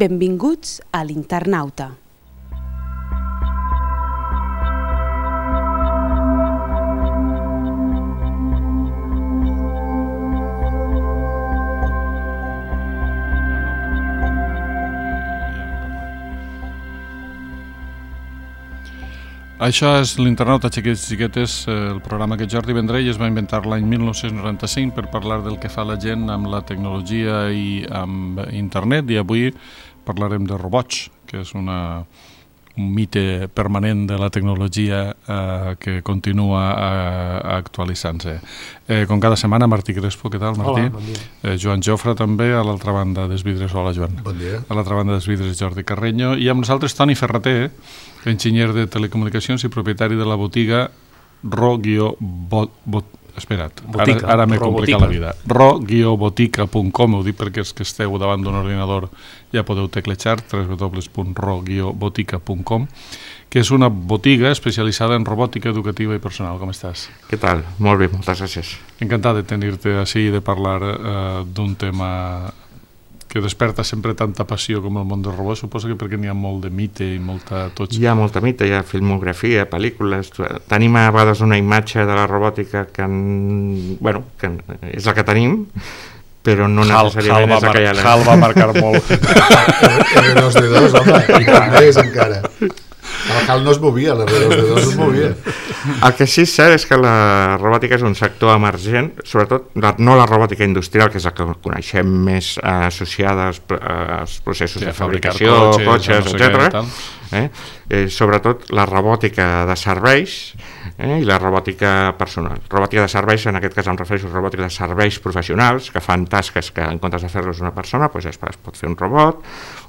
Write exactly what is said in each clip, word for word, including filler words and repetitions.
Benvinguts a l'Internauta. Això és l'Internauta, xiquets i xiquetes, el programa que Jordi Vendrell es va inventar l'any mil nou-cents noranta-cinc per parlar del que fa la gent amb la tecnologia i amb internet, i avui parlarem de robots, que és una, un mite permanent de la tecnologia eh, que continua eh, actualitzant-se. Eh, com cada setmana, Martí Crespo, què tal, Martí? Hola, bon dia. Eh, Joan Jofre també, a l'altra banda dels vidres. Hola, Joan. Bon dia. A l'altra banda dels vidres, Jordi Carreño, i amb nosaltres Toni Ferrater, enginyer de telecomunicacions i propietari de la botiga ro-bot... Espera't, Botica, ara, ara m'he Robotica. complicat la vida. ro botica punt com, ho dic perquè els que esteu davant d'un ordinador ja podeu teclejar, w w w punt ro botica punt com, que és una botiga especialitzada en robòtica educativa i personal. Com estàs? Què tal? Molt bé, moltes gràcies. Encantat de tenir-te així i de parlar eh, d'un tema que desperta sempre tanta passió com el món dels robots. Suposo que perquè n'hi ha molt de mite i molta... Tots... Hi ha molta mite, hi ha filmografia, pel·lícules... Tenim a vegades una imatge de la robòtica que, en... bueno, que és la que tenim, però no necessàriament és la que hi ha... Hal va marcar molt. R dos D dos, home, i també és encara. El Hal no es movia, l'R dos D dos es movia. El que sí és cert és que la robòtica és un sector emergent, sobretot no la robòtica industrial, que és la que coneixem més eh, associada als, als processos sí, de fabricació, cotxes, cotxes, no sé etcètera. Eh? Eh, sobretot la robòtica de serveis eh, i la robòtica personal. Robòtica de serveis, en aquest cas em refereixo a robòtica de serveis professionals, que fan tasques que en comptes de fer-los una persona, doncs es pot fer un robot,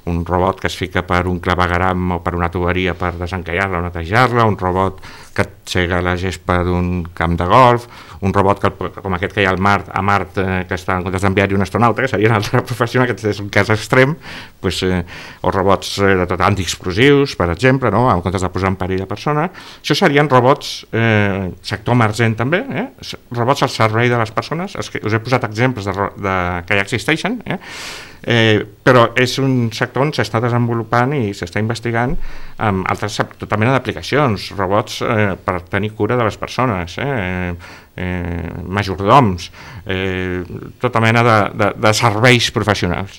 un robot que es fica per un clavegueram o per una tuberia per desencallar-la o netejar-la, un robot que sega la gespa d'un camp de golf, un robot que, com aquest que hi ha al Mart, a Mart, eh, que està en comptes d'enviar-hi un astronauta, que seria una altra professional, que és un cas extrem, doncs, eh, o robots eh, de tot antiexplosius, per exemple, no? En comptes de posar en perill la persona. Això serien robots, eh, sector emergent també, eh? robots al servei de les persones. Es que us he posat exemples de, de, que ja existeixen, eh? Eh, però és un sector on s'està desenvolupant i s'està investigant amb altres, tota mena d'aplicacions, robots eh, per tenir cura de les persones, eh, eh, majordoms, eh, tota mena de, de, de serveis professionals.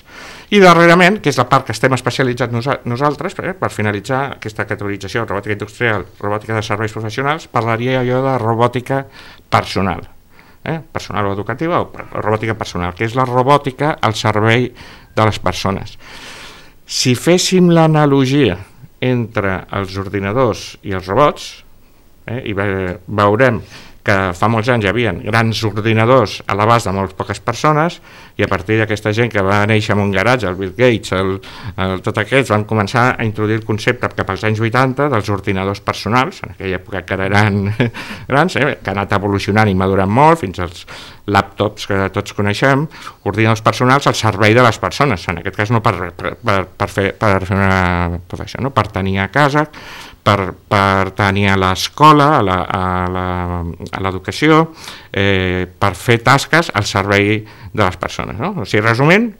I darrerament, que és la part que estem especialitzats nosa, nosaltres, eh, per finalitzar aquesta categorització, robòtica industrial, robòtica de serveis professionals, parlaria jo de robòtica personal. Eh, personal o educativa o robòtica personal, que és la robòtica al servei de les persones. Si féssim l'analogia entre els ordinadors i els robots, eh, i ve, veurem que fa molts anys hi havia grans ordinadors a l'abast de molt poques persones, i a partir d'aquesta gent que va néixer en un garatge, el Bill Gates, el, el, tot aquests, van començar a introduir el concepte cap als anys vuitanta dels ordinadors personals, en aquella època que eren grans, eh, que ha anat evolucionant i madurant molt, fins als laptops que tots coneixem, ordinadors personals al servei de les persones, en aquest cas no per, per, per, fer, per fer una professió, no? Per tenir a casa, per, per tenir a l'escola, a l'educació, eh, per fer tasques al servei de les persones. No? O sigui, resumint,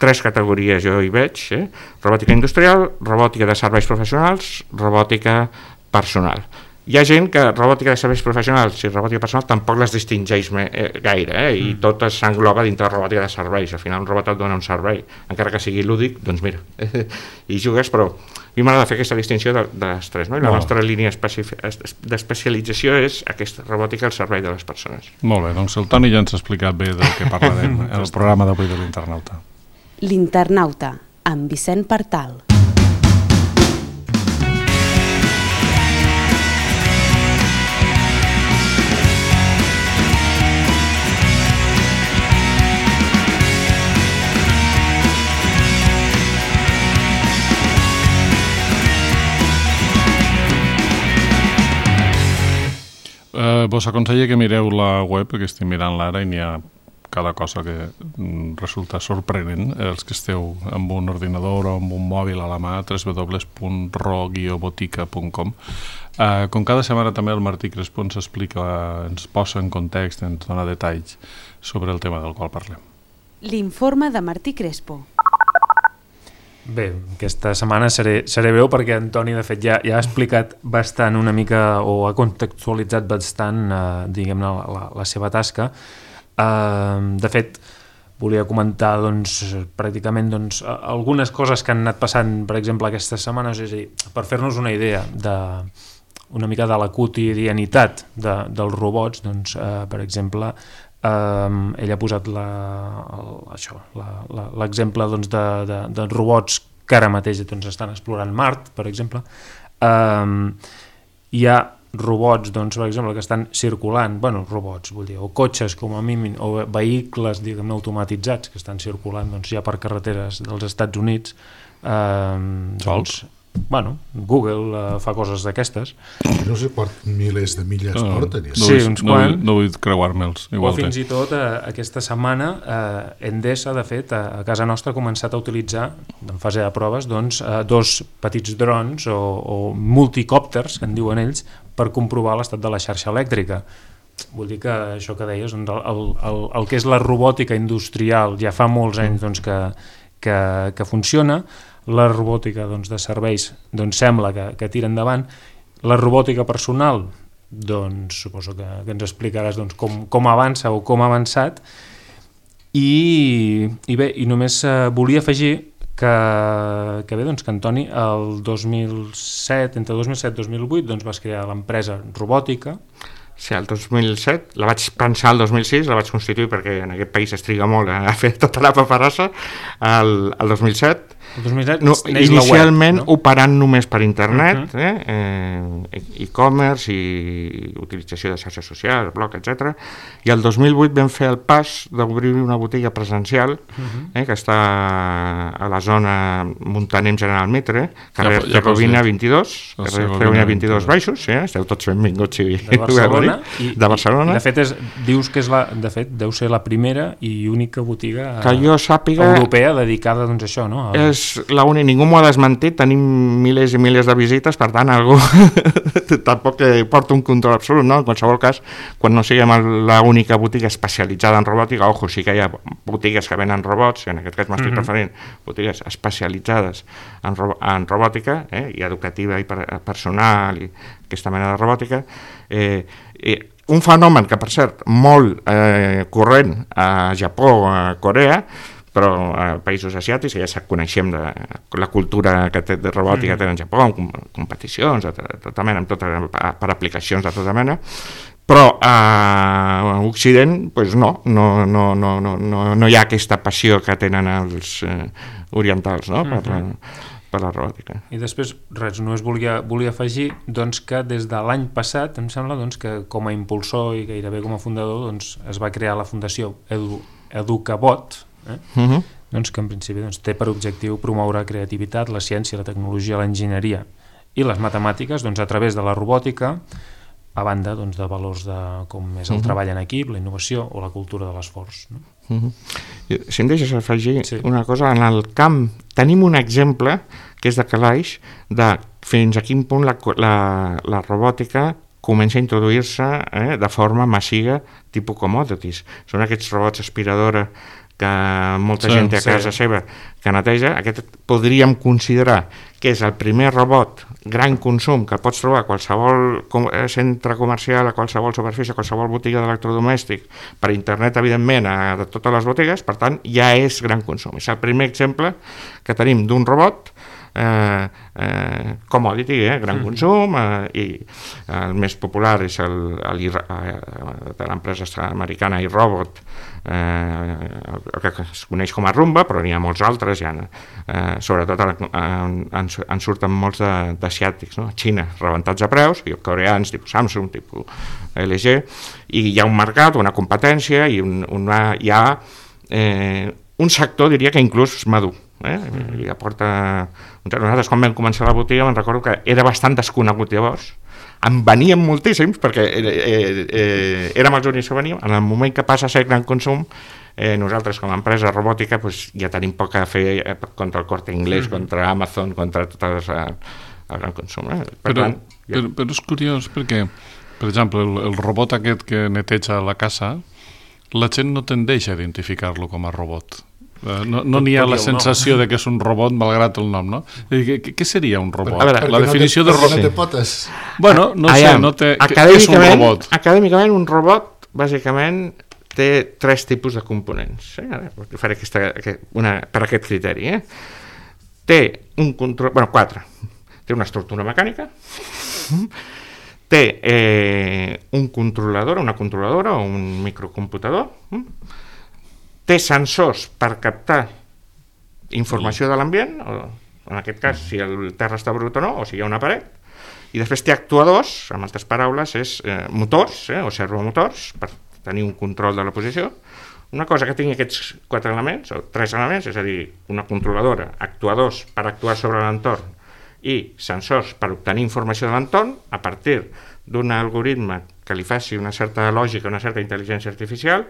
tres categories jo hi veig, eh? robòtica industrial, robòtica de serveis professionals, robòtica personal. Hi ha gent que robòtica de serveis professionals i robòtica personal tampoc les distingeix gaire, eh? I tot s'engloba dintre de robòtica de serveis. Al final un robot et dona un servei, encara que sigui lúdic, doncs mira, i jugues, però a mi m'agrada fer aquesta distinció de, de les tres, no? I la no. nostra línia d'especialització és aquesta robòtica al servei de les persones. Molt bé, doncs el Toni ja ens ha explicat bé del que parlarem en el programa d'avui de l'Internauta. L'Internauta, amb Vicent Partal. Eh, vos aconsello que mireu la web, que estic mirant l'ara i n'hi ha cada cosa que resulta sorprenent. Els que esteu amb un ordinador o amb un mòbil a la mà, w w w punt ro botica punt com. Eh, com cada setmana també el Martí Crespo ens explica, ens posa en context, ens dona detalls sobre el tema del qual parlem. L'informe de Martí Crespo. Bé, aquesta setmana seré, seré breu perquè Antoni, de fet, ja, ja ha explicat bastant una mica, o ha contextualitzat bastant, eh, diguem-ne, la, la, la seva tasca. Eh, de fet, volia comentar, doncs, pràcticament, doncs, algunes coses que han anat passant, per exemple, aquestes setmanes, és a dir, per fer-nos una idea de una mica de la quotidianitat de, dels robots, doncs, eh, per exemple, Um, ell ha posat la, el, això, la, la, l'exemple doncs, de, de, de robots que ara mateix doncs, estan explorant Mart, per exemple. Um, hi ha robots, doncs, per exemple, que estan circulant, bueno, robots, vull dir, o cotxes com a mínim, o vehicles, diguem-ne, automatitzats que estan circulant doncs, ja per carreteres dels Estats Units. Um, Sols? Doncs, bueno, Google uh, fa coses d'aquestes. No sé quants milers de milles no, porten. No, sí, vull, uns no, quants. vull, no vull creuar-me'ls. O fins i tot eh, aquesta setmana eh, Endesa, de fet, a, a casa nostra ha començat a utilitzar, en fase de proves, doncs, eh, dos petits drons o, o multicòpters, que en diuen ells, per comprovar l'estat de la xarxa elèctrica. Vull dir que això que deies, doncs, el, el, el que és la robòtica industrial ja fa molts anys doncs, que, que, que funciona. La robòtica doncs, de serveis doncs, sembla que, que tira endavant. La robòtica personal, doncs suposo que, que ens explicaràs doncs, com, com avança o com ha avançat. I, i bé, i només eh, volia afegir que, que bé, doncs, que Antoni el dos mil set, entre dos mil set i dos mil vuit doncs, vas crear l'empresa Robòtica. Sí, el dos mil set, la vaig pensar el dos mil sis, la vaig constituir perquè en aquest país es triga molt a fer tota la paperassa. El, el dos mil set, el dos mil set no, inicialment web, no? Operant només per internet, uh-huh. eh, eh, e-commerce i utilització de xarxes socials, blog, etcètera. I el dos mil vuit vam fer el pas d'obrir una botiga presencial uh-huh. eh, que està a la zona Muntanem General Mitre, carrer ja, ja Rovina vint-i-dos, carrer Rovina vint-i-dos baixos, sí, eh? Esteu tots benvinguts si de Barcelona, i, de Barcelona. I, i de fet és, dius que és la, de fet deu ser la primera i única botiga que jo sàpiga, europea dedicada doncs, a això, no? A... És la única, ningú m'ho ha desmentit, tenim milers i milers de visites, per tant algú tampoc porta un control absolut, no? En qualsevol cas, quan no siguem l'única botiga especialitzada en robòtica, ojo, sí que hi ha botigues que venen robots, en aquest cas m'estic uh-huh. referint botigues especialitzades en, ro en robòtica, eh? I educativa i per personal i aquesta mena de robòtica. Eh, eh, un fenomen que, per cert, molt eh, corrent a Japó, a Corea, però a països asiàtics, ja coneixem de la cultura que té de robòtica que té en Japó, amb competicions, de tota mena, amb tota, per aplicacions de tota mena, però a Occident pues no, no, no, no, no, no hi ha aquesta passió que tenen els eh, orientals, no? per, la, per la robòtica. I després, res, només volia, volia afegir doncs, que des de l'any passat, em sembla doncs, que com a impulsor i gairebé com a fundador doncs, es va crear la Fundació Edu, Educabot, Eh? Uh-huh. doncs que en principi doncs, té per objectiu promoure la creativitat, la ciència, la tecnologia, l'enginyeria i les matemàtiques doncs, a través de la robòtica, a banda doncs, de valors de, com és el uh-huh. treball en equip, la innovació o la cultura de l'esforç. No? Uh-huh. Si em deixes afegir sí. una cosa, en el camp tenim un exemple que és de calaix de fins a quin punt la, la, la robòtica comença a introduir-se eh, de forma massiva tipus commodities. Són aquests robots aspiradora que molta sí, gent té a casa sí. seva que neteja. Aquest podríem considerar que és el primer robot gran consum que pots trobar a qualsevol centre comercial, a qualsevol superfície, a qualsevol botiga d'electrodomèstic, per internet, evidentment, a totes les botigues, per tant, ja és gran consum. És el primer exemple que tenim d'un robot Eh, eh, commodity, eh, gran mm-hmm. consum, eh, i el més popular és el, el, el de l'empresa americana iRobot, eh, el que es coneix com a Roomba, però n'hi ha molts altres, ja, eh, sobretot en, en, en surten molts d'asiàtics, no? Xina, rebentats a preus, i coreans, tipus Samsung, tipus L G, i hi ha un mercat, una competència, i un, una, hi ha eh, un sector, diria que inclús madur. Eh? I aporta... Nosaltres quan vam començar la botiga me'n recordo que era bastant desconegut llavors, en veníem moltíssims perquè eh, eh, érem els únics que veníem. En el moment que passa a ser gran consum, eh, nosaltres com a empresa robòtica pues, ja tenim poc a fer eh, contra el Corte Inglés, mm-hmm. contra Amazon, contra tot el, el gran consum. Eh? Per però, tant, ja... però, però és curiós perquè, per exemple, el, el robot aquest que neteja la casa, la gent no tendeix a identificar-lo com a robot. No n'hi no ha la sensació de que és un robot malgrat el nom, no? Què, què seria un robot? Per, veure, la definició no té, de robot... No té potes. Bueno, no sé, Aviam, no té... és un robot? Acadèmicament, un robot, bàsicament, té tres tipus de components. Eh? Ara faré aquesta, una, per aquest criteri. Eh? Té un control... Bueno, quatre. Té una estructura mecànica, té eh, un controlador, una controladora o un microcomputador, té sensors per captar informació de l'ambient, en aquest cas si el terra està brut o no, o si hi ha una paret, i després té actuadors, en altres paraules, és eh, motors, eh, o servomotors, per tenir un control de la posició. Una cosa que tingui aquests quatre elements, o tres elements, és a dir, una controladora, actuadors per actuar sobre l'entorn, i sensors per obtenir informació de l'entorn a partir d'un algoritme que li faci una certa lògica, una certa intel·ligència artificial,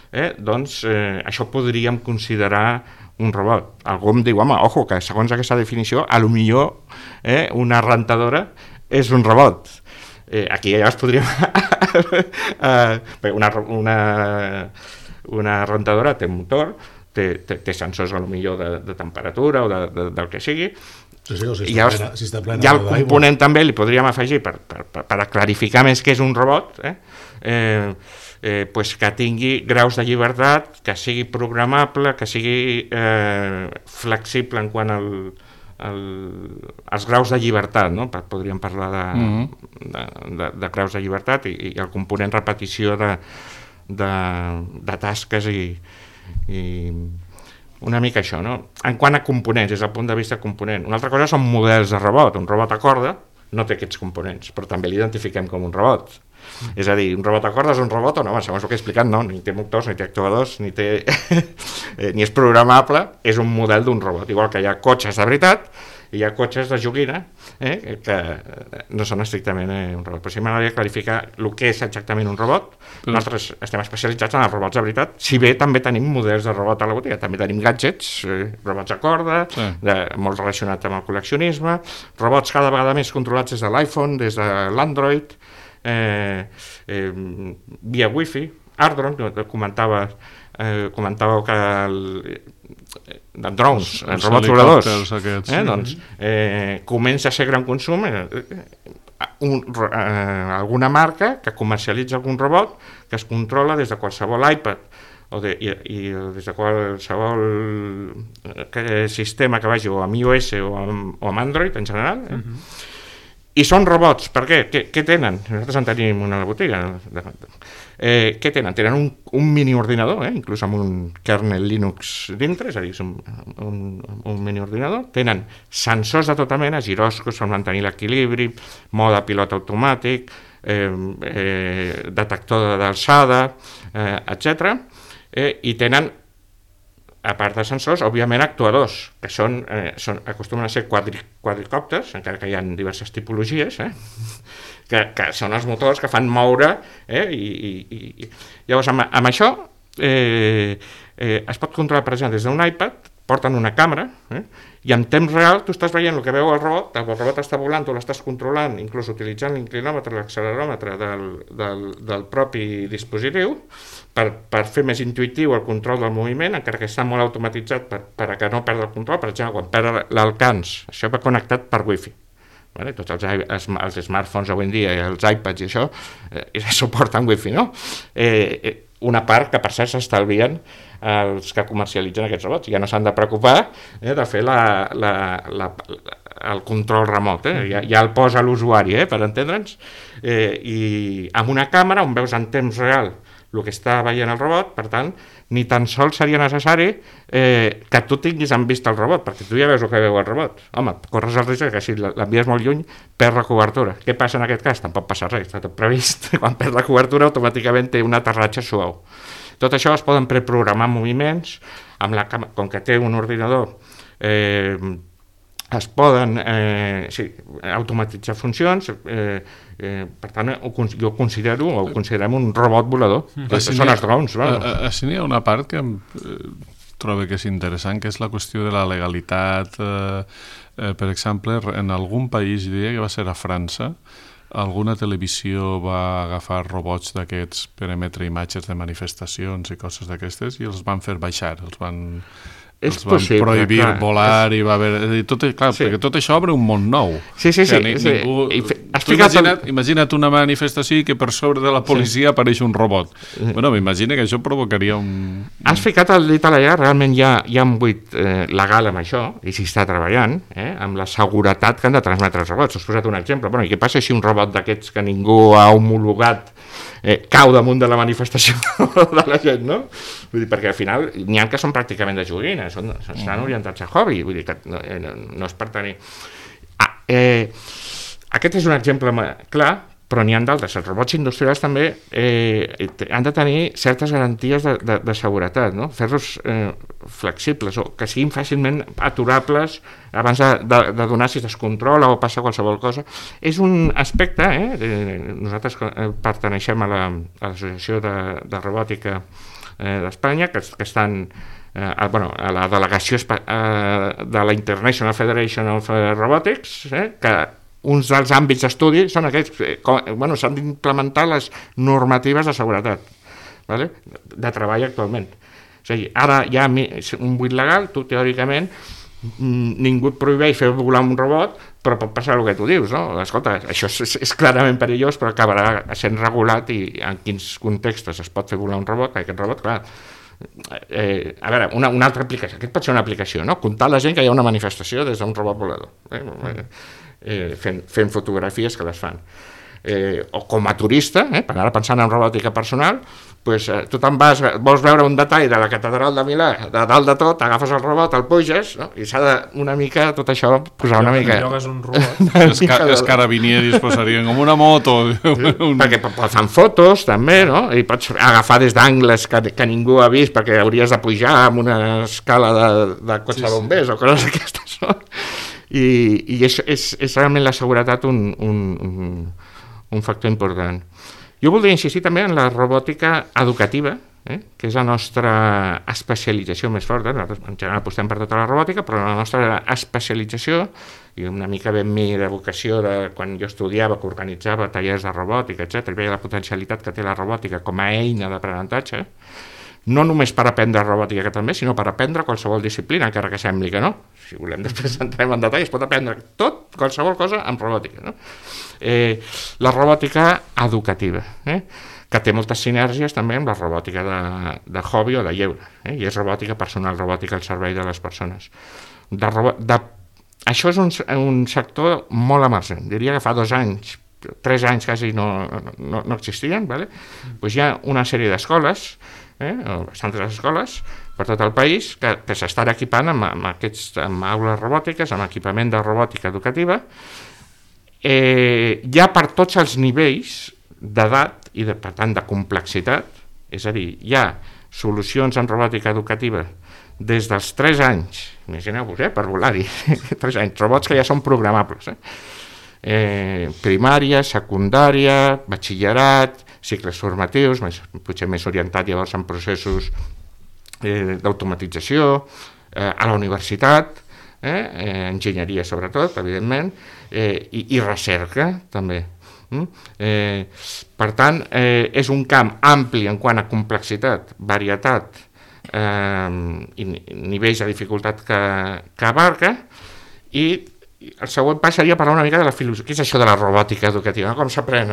eh, doncs eh, això podríem considerar un robot. Algú em diu, home, ojo, que segons aquesta definició, a lo millor eh, una rentadora és un robot. Eh, aquí ja es podríem... una, una, una rentadora té motor, té, té, té sensors a lo millor de, de temperatura o de, de, del que sigui. Sí, sí, o si I ja, plena, si està plena ja el component també li podríem afegir per, per, per, per clarificar més què és un robot, eh? Eh, eh, pues que tingui graus de llibertat, que sigui programable, que sigui eh, flexible en quant al, al, als graus de llibertat, no? Podríem parlar de, mm-hmm. de, de, de graus de llibertat i, i el component repetició de, de, de tasques i, i una mica això, no? En quant a components, des del punt de vista component. Una altra cosa són models de robot. Un robot a corda no té aquests components, però també l'identifiquem com un robot. Mm. És a dir, un robot a corda és un robot o no? Segons el que he explicat, no. Ni té motors, ni té actuadors, ni, té ni és programable, és un model d'un robot. Igual que hi ha cotxes de veritat, i hi ha cotxes de joguina eh, que no són estrictament eh, un robot. Però sí m'agradaria clarificar el que és exactament un robot. Però... Nosaltres estem especialitzats en els robots de veritat, si bé també tenim models de robot a la botiga, també tenim gadgets, eh, robots a corda, sí. de, molt relacionats amb el col·leccionisme, robots cada vegada més controlats des de l'iPhone, des de l'Android, eh, eh, via Wi-Fi, Ardron, comentava, eh, comentàveu que el, de drones, els, els robots voladors, aquests, eh, doncs, eh, comença a ser gran consum, eh, un, eh, alguna marca que comercialitza algun robot que es controla des de qualsevol iPad o, de, i, i des de qualsevol eh, sistema que vagi o amb iOS o amb, o amb Android en general, eh? Uh-huh. I són robots, per què? Què, què tenen? Nosaltres en tenim una a la botiga. Eh, què tenen? Tenen un, un mini ordinador, eh? Inclús amb un kernel Linux dintre, és a dir, és un, un, un mini ordinador. Tenen sensors de tota mena, giròscops per mantenir l'equilibri, mode pilot automàtic, eh, eh, detector d'alçada, eh, etcètera. Eh, I tenen, a part de sensors, òbviament actuadors, que són, eh, són, acostumen a ser quadri, quadricòpters, encara que hi ha diverses tipologies, eh, que, que són els motors que fan moure, eh, i, i, i llavors amb, amb això eh, eh, es pot controlar, per exemple, des d'un iPad, porten una càmera, eh, i en temps real tu estàs veient el que veu el robot, el robot està volant, tu l'estàs controlant, inclús utilitzant l'inclinòmetre, l'acceleròmetre del, del, del propi dispositiu, per, per fer més intuïtiu el control del moviment, encara que està molt automatitzat per, per a que no perdi el control. Per exemple, quan perd l'alcance, això va connectat per Wi-Fi. Vale? Tots els, els, els smartphones avui en dia i els iPads i això eh, suporten Wi-Fi, no? Eh, una part que per cert s'estalvien els que comercialitzen aquests robots. Ja no s'han de preocupar eh, de fer la, la, la, el control remot, eh? ja, ja el posa l'usuari, eh, per entendre'ns, eh, i amb una càmera on veus en temps real el que està veient el robot, per tant, ni tan sols seria necessari eh, que tu tinguis en vista el robot, perquè tu ja veus el que veu el robot. Home, corres el risc que si l'envies molt lluny, perd la cobertura. Què passa en aquest cas? Tampoc passa res, està tot previst. Quan perd la cobertura, automàticament té un aterratge suau. Tot això es poden preprogramar moviments, amb la càmera, com que té un ordinador, eh, es poden eh, sí, automatitzar funcions, eh, eh, per tant ho, jo considero o ho considerem un robot volador, mm. que són els drones. Així n'hi ha una part que em eh, trobo que és interessant, que és la qüestió de la legalitat. Eh, eh, per exemple, en algun país, jo diria que va ser a França, alguna televisió va agafar robots d'aquests per emetre imatges de manifestacions i coses d'aquestes i els van fer baixar, els van És els van possible, prohibir clar. volar i va haver... Tot, clar, Sí. perquè tot això obre un món nou. Sí, sí, O sigui, sí, ni- sí. Ningú... I fe- has Tu ficat el- imagina't, imagina't una manifestació i que per sobre de la policia apareix un robot. Bueno, m'imagino que això provocaria un... Has ficat el dit a la llaga, realment hi ha, hi ha un buit eh, legal amb això, i s'hi està treballant, eh, amb la seguretat que han de transmetre els robots. Us he posat un exemple. Bueno, i què passa si un robot d'aquests que ningú ha homologat eh, cau damunt de la manifestació de la gent, no? Vull dir, perquè al final n'hi ha que són pràcticament de joguina, són, estan orientats a hobby, vull dir que no, eh, no, no és per tenir... Ah, eh, aquest és un exemple ma- clar, però n'hi ha d'altres. Els robots industrials també eh, han de tenir certes garanties de, de, de seguretat, no? Fer-los eh, flexibles o que siguin fàcilment aturables abans de, de, de donar si es descontrola o passa qualsevol cosa. És un aspecte, eh? eh nosaltres eh, perteneixem a la, a l'Associació de, de Robòtica eh, d'Espanya, que, que estan eh, a, bueno, a la delegació eh, de la International Federation of Robotics, eh, que uns dels àmbits d'estudi són aquests, eh, com, bueno, s'han d'implementar les normatives de seguretat, vale? De treball actualment. És a dir, ara hi ha un buit legal, tu teòricament ningú et prohibeix fer volar un robot, però pot passar el que tu dius, no? Escolta, això és, és clarament perillós, però acabarà sent regulat i en quins contextos es pot fer volar un robot, aquest robot, clar, Eh, a veure, una, una altra aplicació, aquest pot ser una aplicació, no? Comptar la gent que hi ha una manifestació des d'un robot volador, eh? Eh, fent, fent fotografies que les fan. Eh, o com a turista, eh, per ara pensant en robòtica personal, pues, eh, tu te'n vas, vols veure un detall de la catedral de Milà, de dalt de tot, agafes el robot, el puges, no? I s'ha de una mica, tot això, posar una mica... Llogues un robot. Els, ca els carabinieris posarien com una moto. Un... Perquè fan fotos també, no? I pots agafar des d'angles que, que ningú ha vist perquè hauries de pujar amb una escala de, de cotxe sí, de bombers sí. o coses d'aquestes, no? I, i és, és, és realment la seguretat un, un, un, un factor important. Jo voldria insistir també en la robòtica educativa, eh? Que és la nostra especialització més forta. Nosaltres en general apostem per tota la robòtica, però la nostra especialització, i una mica ben mi de vocació de quan jo estudiava, que organitzava tallers de robòtica, etcètera, i veia la potencialitat que té la robòtica com a eina d'aprenentatge, no només per aprendre robòtica que també, sinó per aprendre qualsevol disciplina, encara que sembli que no. Si volem després entrem en detall, es pot aprendre tot, qualsevol cosa amb robòtica, no? Eh, la robòtica educativa, eh? Que té moltes sinergies també amb la robòtica de, de hobby o de lleure, eh? I és robòtica personal, robòtica al servei de les persones. De robo de... Això és un, un sector molt emergent, diria que fa dos anys, tres anys quasi no, no, no existien, ¿vale? Pues hi ha una sèrie d'escoles, eh, o bastantes escoles per tot el país que, que s'estan equipant amb, amb, aquests, amb aules robòtiques, amb equipament de robòtica educativa, eh, ja per tots els nivells d'edat i de, per tant de complexitat, és a dir, hi ha solucions en robòtica educativa des dels tres anys, imagineu-vos, eh, per volar-hi, tres anys, robots que ja són programables, eh? Eh, primària, secundària, batxillerat, cicles formatius, més, potser més orientat llavors en processos eh, d'automatització, eh, a la universitat, eh, eh, enginyeria sobretot, evidentment, eh, i, i recerca també. Mm? Eh, per tant, eh, és un camp ampli en quant a complexitat, varietat eh, i nivells de dificultat que, que abarca, i el següent pas seria parlar una mica de la filosofia. Què és això de la robòtica educativa? Com s'aprèn?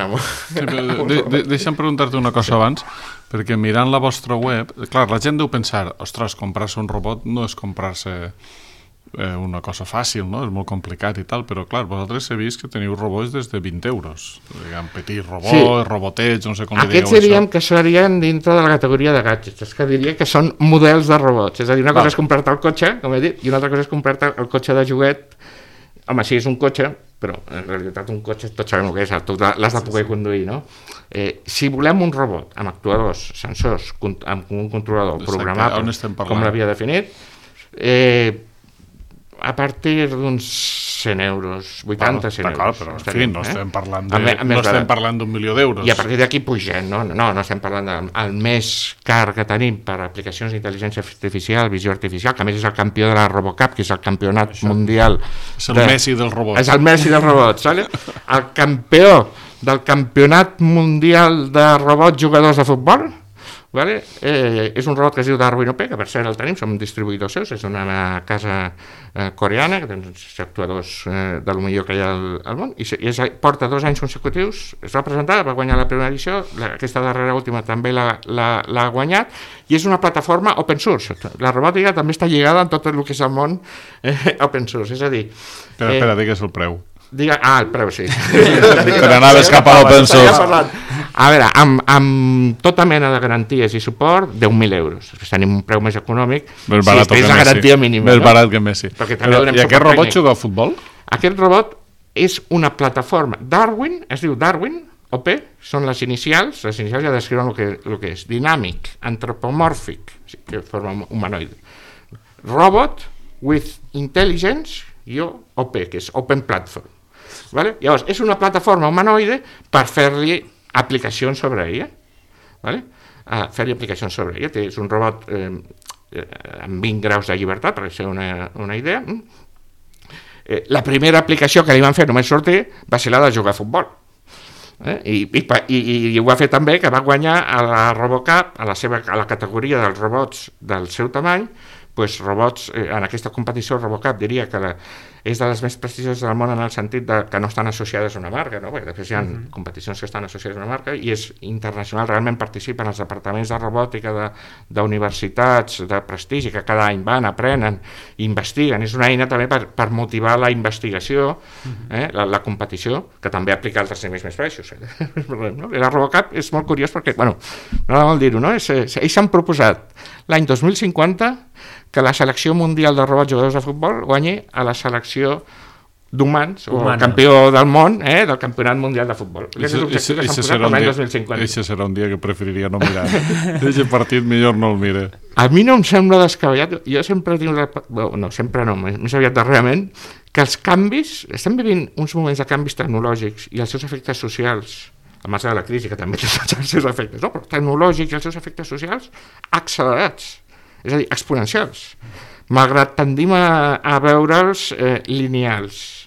Sí, de, de, deixa'm preguntar-te una cosa abans, perquè mirant la vostra web, clar, la gent deu pensar, ostres, comprar-se un robot no és comprar-se eh, una cosa fàcil, no? És molt complicat i tal, però clar, vosaltres he vist que teniu robots des de vint euros, diguem, petits robots, sí. Robotets, no sé com li digueu això. Aquests diríem que serien dintre de la categoria de gadgets, és que diria que són models de robots, és a dir, una cosa és comprar-te el cotxe, com he dit, i una altra cosa és comprar-te el cotxe de joguet. Home, sí, és un cotxe, però en realitat un cotxe tots sabem el que és, tu l'has de poder conduir, no? Eh, si volem un robot amb actuadors, sensors, amb un controlador programable, com l'havia definit, eh, a partir d'uns cent euros, vuitanta, cent euros. Però, en fi, no estem parlant de, no estem parlant d'un milió d'euros. I a partir d'aquí pugem, no? No, no estem parlant del més car que tenim per aplicacions d'intel·ligència artificial, visió artificial, que a més és el campió de la RoboCup, que és el campionat Això. mundial. És el de, Messi dels robots. És el Messi dels robots, ¿vale? El campió del campionat mundial de robots jugadors de futbol, Vale? Eh, és un robot que es diu Darwin O P, que per cert el tenim, som distribuïdors seus, és una casa eh, coreana, que té uns actuadors eh, de lo millor que hi ha al, al món, i, i és, porta dos anys consecutius, es va presentar, va guanyar la primera edició, la, aquesta darrera última també l'ha guanyat, i és una plataforma open source. La robòtica també està lligada en tot el que és el món eh, open source, és a dir... Espera, eh, espera, digues el preu. Diga, ah, el preu, sí. Per anaves cap a l'open source. A veure, amb, amb tota mena de garanties i suport, deu mil euros. Després tenim un preu més econòmic, més barat si és la garantia mínima. Més no? barat que Messi. Però, I aquest robot juga a futbol? Aquest robot és una plataforma. Darwin, es diu Darwin, O P, són les inicials, les inicials ja descriuen el que, el que és. Dinàmic, antropomòrfic, que forma humanoide. Robot with intelligence, i O P, que és Open Platform. Vale? Llavors, és una plataforma humanoide per fer-li aplicacions sobre ella. Vale? Uh, fer-li aplicacions sobre ella. És un robot eh, eh, amb vint graus de llibertat, per ser una, una idea. Eh, la primera aplicació que li van fer només sortir va ser la de jugar a futbol. Eh? I, i, i, i ho va fer també que va guanyar a la RoboCup, a la, seva, a la categoria dels robots del seu tamany, pues, robots, eh, en aquesta competició RoboCup diria que la, és de les més prestigioses del món en el sentit de que no estan associades a una marca, no? Perquè després hi ha uh-huh. competicions que estan associades a una marca i és internacional, realment participen els departaments de robòtica d'universitats de, de prestigi que cada any van, aprenen, investiguen, és una eina també per, per motivar la investigació, eh? la, la competició, que també aplica altres nivells més baixos. Eh? La RoboCup és molt curiós perquè, bueno, no vol dir-ho, no? És, és, ells s'han proposat l'any dos mil cinquanta que la selecció mundial de robots jugadors de futbol guanyi a la selecció d'humans, o el campió del món, eh, del campionat mundial de futbol. Aquest és l'objectiu que s'han posat l'any dos mil cinquanta. Això serà un dia que preferiria no mirar. Aquest partit millor no el mire. A mi no em sembla descabellat. Jo sempre tinc... La... No, sempre no, més aviat darrerament, que els canvis... Estem vivint uns moments de canvis tecnològics i els seus efectes socials, a marge de la crisi, que també té els seus efectes, no? Però tecnològics i els seus efectes socials accelerats, és a dir, exponencials, malgrat tendim a, a veure'ls eh, lineals.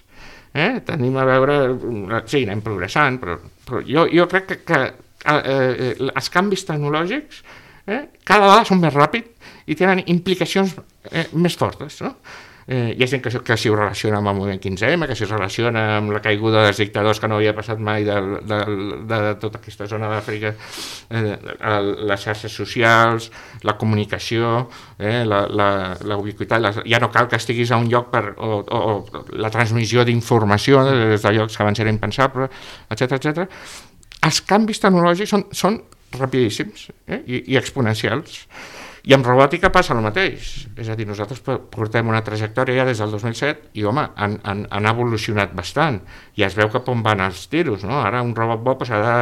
Eh? Tendim a veure... Sí, anem progressant, però, però jo, jo crec que, que eh, els canvis tecnològics eh, cada vegada són més ràpids i tenen implicacions eh, més fortes, no? Eh, hi ha gent que, que s'hi relaciona amb el moviment quinze ema, que s'hi relaciona amb la caiguda dels dictadors que no havia passat mai de, de, de, de tota aquesta zona d'Àfrica, eh, les xarxes socials, la comunicació, eh, la, la, la ubiquitat, la, ja no cal que estiguis a un lloc per, o, o, o la transmissió d'informació des de llocs que abans era impensable, etcètera, etcètera. Els canvis tecnològics són, són rapidíssims eh, i, i exponencials. I amb robòtica passa el mateix, és a dir, nosaltres portem una trajectòria ja des del dos mil set i, home, han, han, han evolucionat bastant, i es veu cap on van els tiros, no? Ara un robot bo pues, ha de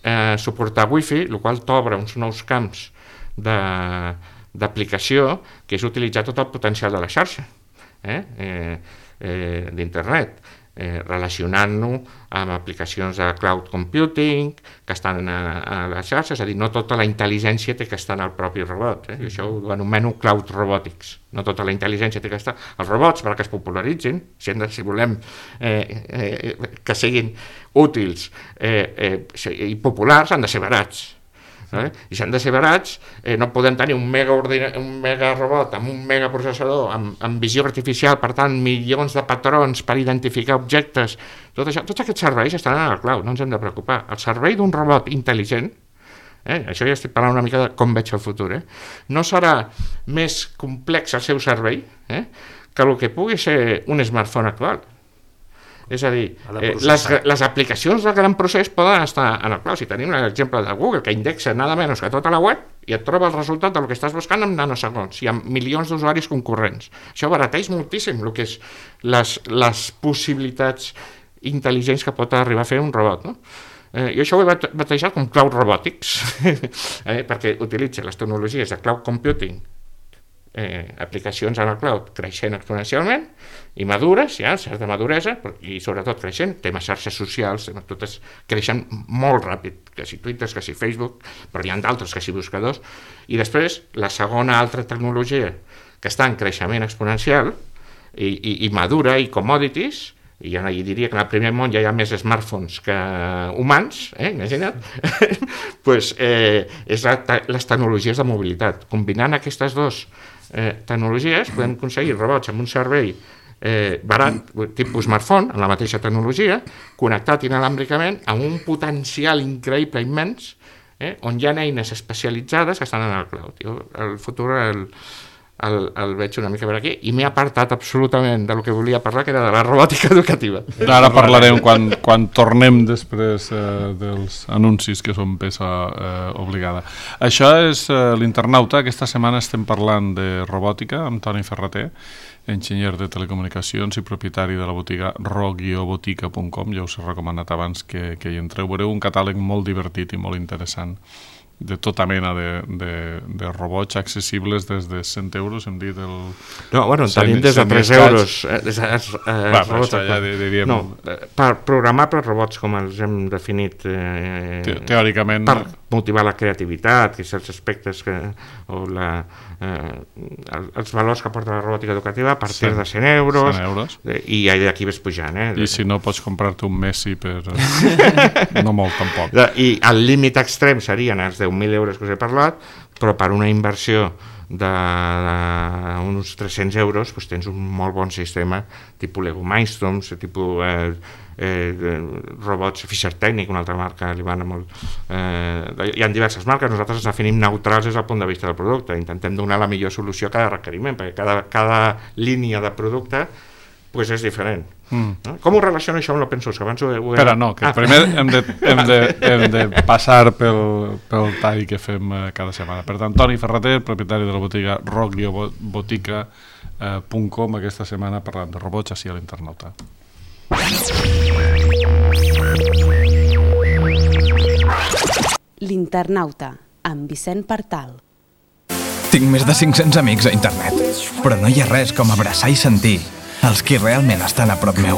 eh, suportar wifi, el qual t'obre uns nous camps d'aplicació, que és utilitzar tot el potencial de la xarxa, eh? Eh, eh, d'internet. Eh, relacionant-lo amb aplicacions de cloud computing que estan a, a les xarxes, és a dir, no tota la intel·ligència té que estar en el propi robot, eh? I això ho anomeno cloud robotics, no tota la intel·ligència té que estar. Els robots, perquè es popularitzin, si, hem de, si volem eh, eh, que siguin útils eh, eh, i populars, han de ser barats. Eh? I si han de ser barats, eh, no podem tenir un mega, ordina, un mega robot amb un mega processador, amb, amb visió artificial, per tant, milions de patrons per identificar objectes. Tot això, tots aquests serveis estan en el cloud, no ens hem de preocupar. El servei d'un robot intel·ligent, eh, això ja estic parlant una mica de com veig el futur, eh, no serà més complex el seu servei eh, que el que pugui ser un smartphone actual. És a dir, eh, les, les aplicacions de gran procés poden estar en el cloud. Si tenim l'exemple de Google, que indexa nada menys que tota la web i et troba el resultat del que estàs buscant en nanosegons i amb milions d'usuaris concurrents. Això barateix moltíssim el que és les, les possibilitats intel·ligents que pot arribar a fer un robot, no? Eh, jo això ho he batejat com cloud robotics, eh, perquè utilitza les tecnologies de cloud computing, Eh, aplicacions en el cloud creixent exponencialment i madures, ja, certa maduresa, i sobretot creixent, temes xarxes socials, totes creixen molt ràpid, que si Twitter, que si Facebook, però hi ha d'altres, que si buscadors, i després la segona altra tecnologia que està en creixement exponencial i, i, i madura, i commodities, i jo diria que en el primer món ja hi ha més smartphones que humans, eh? Imagina't, pues, eh, és la, les tecnologies de mobilitat. Combinant aquestes dues eh, tecnologies podem aconseguir robots amb un servei eh, barat, tipus smartphone, amb la mateixa tecnologia, connectat inalàmbricament amb un potencial increïble, immens, eh, on hi ha eines especialitzades que estan en el cloud. Jo, el futur el, el, el veig una mica per aquí i m'he apartat absolutament del que volia parlar, que era de la robòtica educativa. Ara parlarem quan, quan tornem després eh, dels anuncis que són peça eh, obligada. Això és eh, l'Internauta. Aquesta setmana estem parlant de robòtica amb Toni Ferrater, enginyer de telecomunicacions i propietari de la botiga ro guió botica punt com. Ja us he recomanat abans que, que hi entreu. Veureu un catàleg molt divertit i molt interessant de tota mena de, de, de robots accessibles des de cent euros, hem dit el... No, bueno, tenim des de tres euros. Eh, des, eh, Va, robots, això ja diríem... No, per programables robots, com els hem definit... Eh, Te Teòricament... Per motivar la creativitat, que certs aspectes que... o la, eh, els valors que porta la robòtica educativa a partir de cent euros, cent euros. Eh, i d'aquí ves pujant. Eh? I si no, pots comprar-te un Messi per... no molt, tampoc. I el límit extrem serien els deu mil euros que us he parlat, però per una inversió d'uns tres-cents euros doncs tens un molt bon sistema tipus Lego Mindstorms, tipus eh, eh, robots Fisher Technic, una altra marca alemana molt... Eh, hi ha diverses marques, nosaltres ens definim neutrals des del punt de vista del producte, intentem donar la millor solució a cada requeriment, perquè cada, cada línia de producte pues és diferent. Mm. No? Com ho relaciona això amb l'open source? Abans ho he... Espera, no, que ah. primer hem de, hem, de, hem de passar pel, pel tall que fem eh, cada setmana. Per tant, Toni Ferrater, propietari de la botiga ro guió botica punt com, aquesta setmana parlant de robots així a l'Internauta. L'Internauta, amb Vicent Partal. Tinc més de cinc-cents amics a internet, però no hi ha res com abraçar i sentir els qui realment estan a prop meu.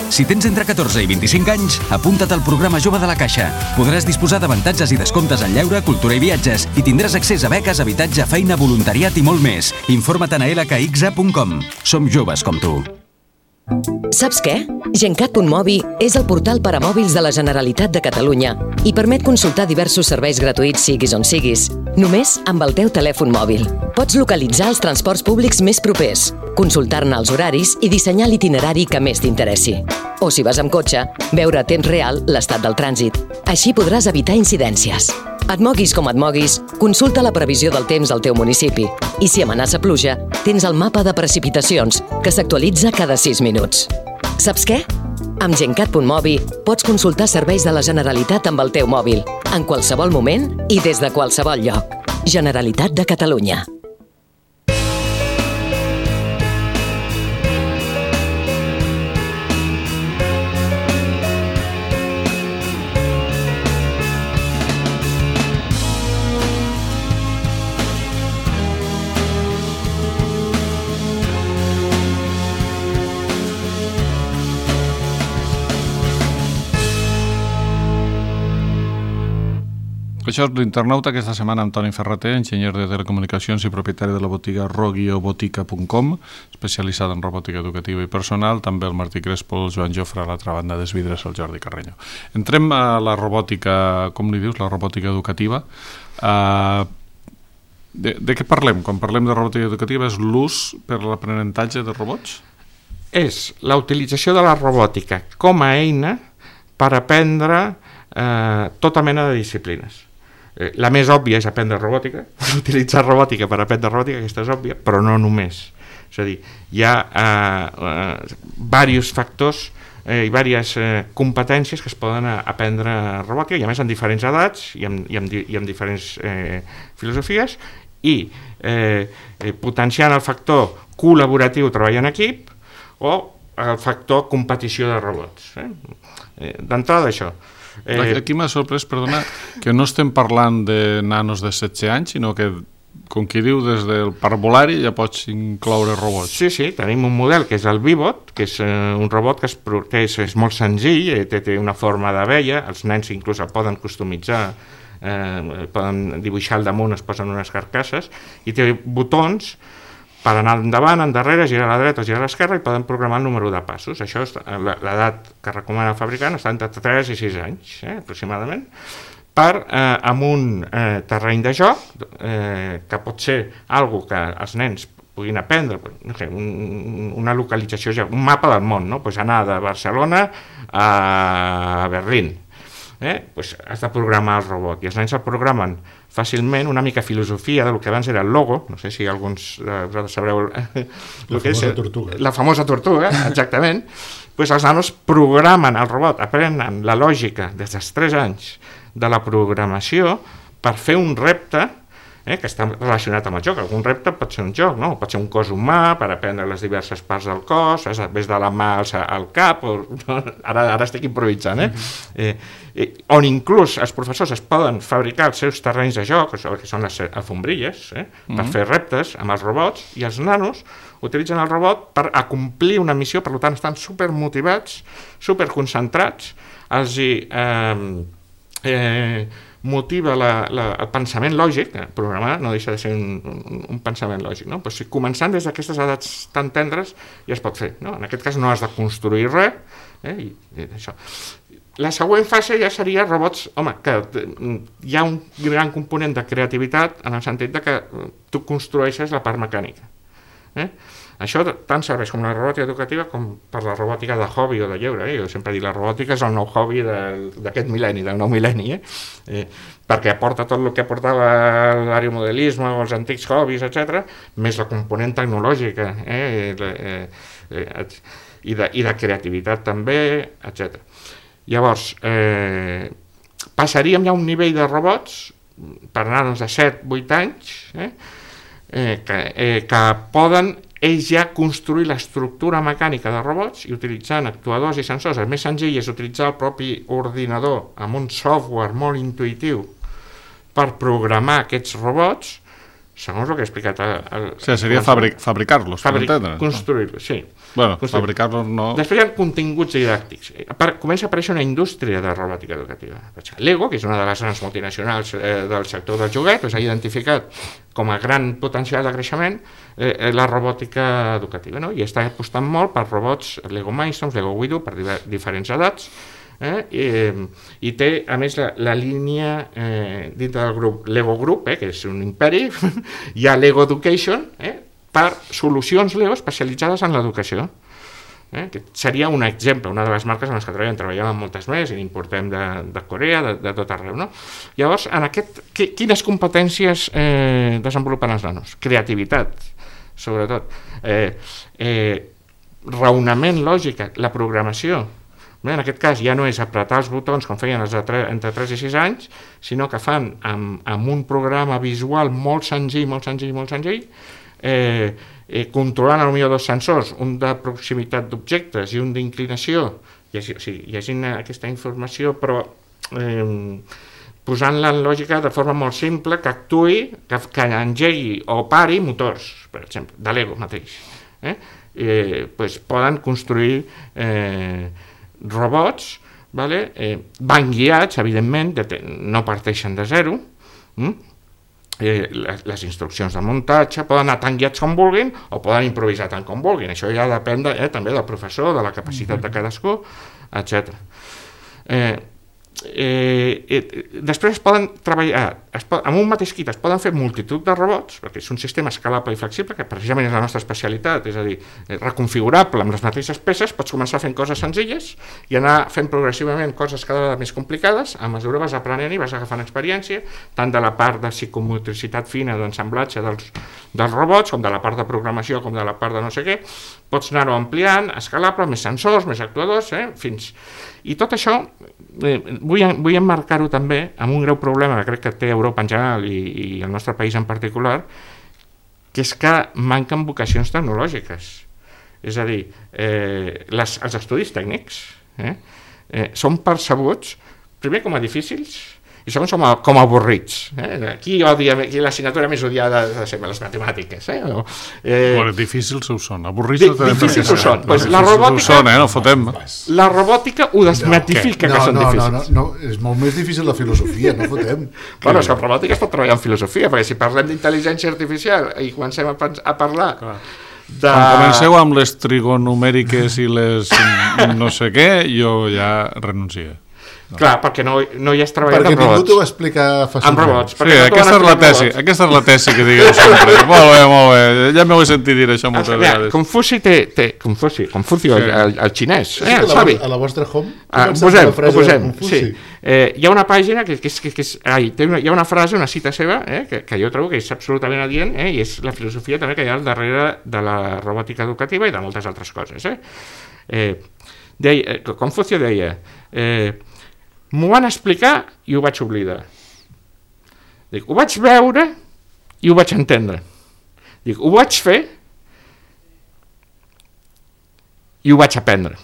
Si tens entre catorze i vint-i-cinc anys, apunta't al programa Jove de la Caixa. Podràs disposar d'avantatges i descomptes en lleure, cultura i viatges i tindràs accés a beques, habitatge, feina, voluntariat i molt més. Informa't a l k x a punt com. Som joves com tu. Saps què? Gencat punt mobi és el portal per a mòbils de la Generalitat de Catalunya i permet consultar diversos serveis gratuïts siguis on siguis, només amb el teu telèfon mòbil. Pots localitzar els transports públics més propers, consultar-ne els horaris i dissenyar l'itinerari que més t'interessi. O si vas amb cotxe, veure a temps real l'estat del trànsit. Així podràs evitar incidències. Et moguis com et moguis, consulta la previsió del temps al teu municipi. I si amenaça pluja, tens el mapa de precipitacions, que s'actualitza cada sis minuts. Saps què? Amb Gencat punt mobi pots consultar serveis de la Generalitat amb el teu mòbil, en qualsevol moment i des de qualsevol lloc. Generalitat de Catalunya. Això és l'Internauta, aquesta setmana amb Toni Ferrater, enginyer de telecomunicacions i propietari de la botiga ro guió botica punt com, especialitzada en robòtica educativa i personal, també el Martí Crespo, el Joan Jofre, a l'altra banda des vidres, el Jordi Carreño. Entrem a la robòtica, com li dius, la robòtica educativa. Uh, de, de què parlem? Quan parlem de robòtica educativa és l'ús per l'aprenentatge de robots? És la utilització de la robòtica com a eina per aprendre eh, tota mena de disciplines. La més òbvia és aprendre robòtica, utilitzar robòtica per aprendre robòtica, aquesta és òbvia, però no només. És a dir, hi ha eh, eh, diversos factors eh, i diverses eh, competències que es poden aprendre robòtica, i a més en diferents edats i en, i en, i en diferents eh, filosofies, i eh, eh, potenciant el factor col·laboratiu, treball en equip, o el factor competició de robots. Eh? Eh, D'entrada això. Eh, Aquí m'ha sorprès, perdona, que no estem parlant de nanos de setze anys, sinó que, com qui diu, des del parvulari ja pots incloure robots. Sí, sí, tenim un model que és el Vivot, que és eh, un robot que, es, que és, és molt senzill, eh, té, té una forma d'abella, els nens inclús el poden customitzar, eh, poden dibuixar al damunt, es posen unes carcasses, i té botons per anar endavant, endarrere, girar a la dreta o girar a l'esquerra, i poden programar el número de passos. Això és l'edat que recomana el fabricant, està entre tres i sis anys, eh, aproximadament, per, eh, amb un eh, terreny de joc, eh, que pot ser algo que els nens puguin aprendre, no sé, un, una localització, un mapa del món, no? Pues anar de Barcelona a Berlín. Eh? Pues has de programar el robot, i els nens el programen fàcilment, una mica filosofia del que abans era el logo, no sé si alguns de vosaltres sabreu la el que és tortuga. la famosa tortuga, exactament. Pues els nanos programen el robot, aprenen la lògica des dels tres anys de la programació per fer un repte, eh, que està relacionat amb el joc. Algun repte pot ser un joc, no? Pot ser un cos humà per aprendre les diverses parts del cos, des de la mà al cap, o, no? ara, ara estic improvisant, eh? Eh, eh, on inclús els professors es poden fabricar els seus terrenys de joc, que són les alfombrilles, eh? per mm-hmm. fer reptes amb els robots, i els nanos utilitzen el robot per acomplir una missió, per tant estan supermotivats, superconcentrats, els hi eh, eh, motiva la, la, el pensament lògic, programar no deixa de ser un, un, un pensament lògic, no? Pues, començant des d'aquestes edats tan tendres ja es pot fer, no? En aquest cas no has de construir res, eh? I, i això. La següent fase ja seria robots, home, que hi ha un gran component de creativitat en el sentit de que tu construeixes la part mecànica, eh? Això tant serveix com la robòtica educativa com per la robòtica de hobby o de lleure. Eh? Jo sempre dic, la robòtica és el nou hobby d'aquest mil·lenni, del nou mil·lenni, eh? Eh, perquè aporta tot el que aportava l'aeromodelisme o els antics hobbies, etcètera, més la component tecnològica, eh? Eh, eh, i, de, i de creativitat també, etcètera. Llavors, eh, passaríem ja a un nivell de robots, per anar-nos de set a vuit anys, eh? Eh, que, eh, que poden ells ja construir l'estructura mecànica de robots i utilitzant actuadors i sensors. El més senzill és utilitzar el propi ordinador amb un software molt intuïtiu per programar aquests robots, segons el que he explicat. El, el, o sigui, seria fabric, fabricar-los, Fabric, per entendre. Construir-los, sí. Bueno, fabricar-los no... Després hi ha continguts didàctics. Comença a aparèixer una indústria de robòtica educativa. Lego, que és una de les grans multinacionals eh, del sector del joguet, s'ha identificat com a gran potencial de creixement eh, la robòtica educativa, no? I està apostant molt per robots Lego Mindstorms, Lego Widow, per diferents edats, eh? I, i té a més la, la línia eh, dintre del grup Lego Group, eh, que és un imperi, hi ha Lego Education, eh, per solucions Lego especialitzades en l'educació, eh, que seria un exemple, una de les marques en les que treballem, treballem amb moltes més i n'importem de, de Corea, de, de tot arreu, no? Llavors, en aquest, que, quines competències eh, desenvolupen els nanos? Creativitat, sobretot, eh, eh, raonament lògica, la programació. Bé, en aquest cas ja no és apretar els botons com feien els de tre, entre tres i sis anys, sinó que fan amb, amb un programa visual molt senzill, molt senzill, molt senzill, eh, eh, controlant potser dos sensors, un de proximitat d'objectes i un d'inclinació, llegint, o sigui, llegint aquesta informació, però eh, posant-la en lògica de forma molt simple, que actuï, que, que engegui o pari motors, per exemple, de Lego mateix. Eh? Eh, pues poden construir eh, robots, vale? eh, van guiats, evidentment, de, no parteixen de zero, hm? eh, les, les instruccions de muntatge poden anar tan guiats com vulguin o poden improvisar tant com vulguin, això ja depèn de, eh, també del professor, de la capacitat de cadascú, etcètera. Eh, Eh, eh, després es poden treballar es pot, amb un mateix kit es poden fer multitud de robots, perquè és un sistema escalable i flexible, que precisament és la nostra especialitat, és a dir, reconfigurable amb les mateixes peces. Pots començar fent coses senzilles i anar fent progressivament coses cada vegada més complicades. A mesura vas aprenent i vas agafant experiència, tant de la part de psicomotricitat fina, d'ensamblatge dels, dels robots, com de la part de programació, com de la part de no sé què. Pots anar-ho ampliant, escalable, més sensors, més actuadors, eh, fins... I tot això eh, vull, vull emmarcar-ho també amb un greu problema que crec que té Europa en general i, i el nostre país en particular, que és que manquen vocacions tecnològiques. És a dir, eh, les, els estudis tècnics eh, eh, són percebuts, primer com a difícils i segons som com avorrits. Eh? Qui odia, qui l'assignatura més odiada de ser les matemàtiques? Eh? O, eh... Bueno, difícils ho són, avorrits no tenim. Difícils ho són. Pues la robòtica, ho són, eh? No fotem. La robòtica ho desmatifica no, que, no, que són no, difícils. No, no, no, és molt més difícil la filosofia, no fotem. Bueno, és que la robòtica es pot treballar en filosofia, perquè si parlem d'intel·ligència artificial i comencem a, a parlar... Clar. De... Quan comenceu amb les trigonomèriques i les no sé què, jo ja renuncio. No. Clar, perquè no, no hi has treballat perquè amb robots. Perquè ningú t'ho va explicar fàcilment. Amb robots. Sí, no aquesta, és la tesi, aquesta és la tesi que digueu sempre. Molt bé, molt bé. Ja m'heu sentit dir això moltes ah, vegades. Confuci té... té Confuci, Confuci sí. el, el xinès. Sí, eh, el a, la, a la vostra home ah, ho posem, ho posem. Sí. Eh, hi ha una pàgina que, que, és, que, que és... Ai, té una, hi ha una frase, una cita seva, eh, que, que jo trobo que és absolutament adient, eh, i és la filosofia també que hi ha al darrere de la robòtica educativa i de moltes altres coses. Eh. Eh, deia, Confuci deia... Eh, m'ho van explicar i ho vaig oblidar. Dic, ho vaig veure i ho vaig entendre. Dic, ho vaig fer i ho vaig aprendre.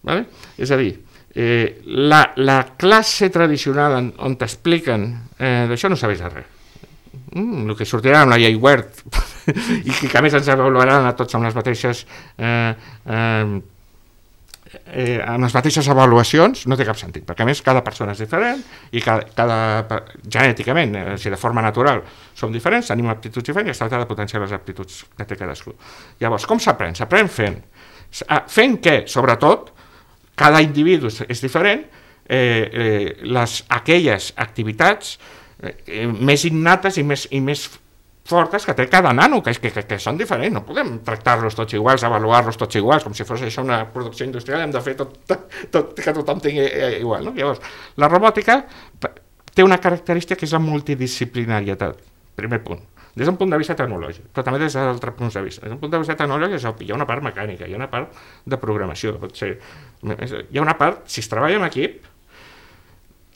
Vale? És a dir, eh, la, la classe tradicional on, on t'expliquen eh, d'això no sabés res. Mm, el que sortirà amb la llei Wert i que a més ens avaluaran a tots amb les mateixes... Eh, eh, Eh, amb les mateixes avaluacions no té cap sentit, perquè a més cada persona és diferent i cada, cada genèticament, eh, si de forma natural som diferents, tenim aptituds diferents i es tracta de potenciar les aptituds que té cadascú. Llavors, com s'aprèn? S'aprèn fent. Fent que, sobretot, cada individu és diferent, eh, eh, les, aquelles activitats eh, més innates i més, i més fortes que té cada nano, que, que, que, que són diferents, no podem tractar-los tots iguals, avaluar-los tots iguals, com si fos això una producció industrial, hem de fer tot, tot, tot que tothom tingui igual. No? Llavors, la robòtica té una característica que és la multidisciplinarietat, primer punt, des d'un punt de vista tecnològic, però també des d'altre punt de vista. Des d'un punt de vista tecnològic és obvi, hi ha una part mecànica, hi ha una part de programació, pot ser, hi ha una part, si es treballa en equip,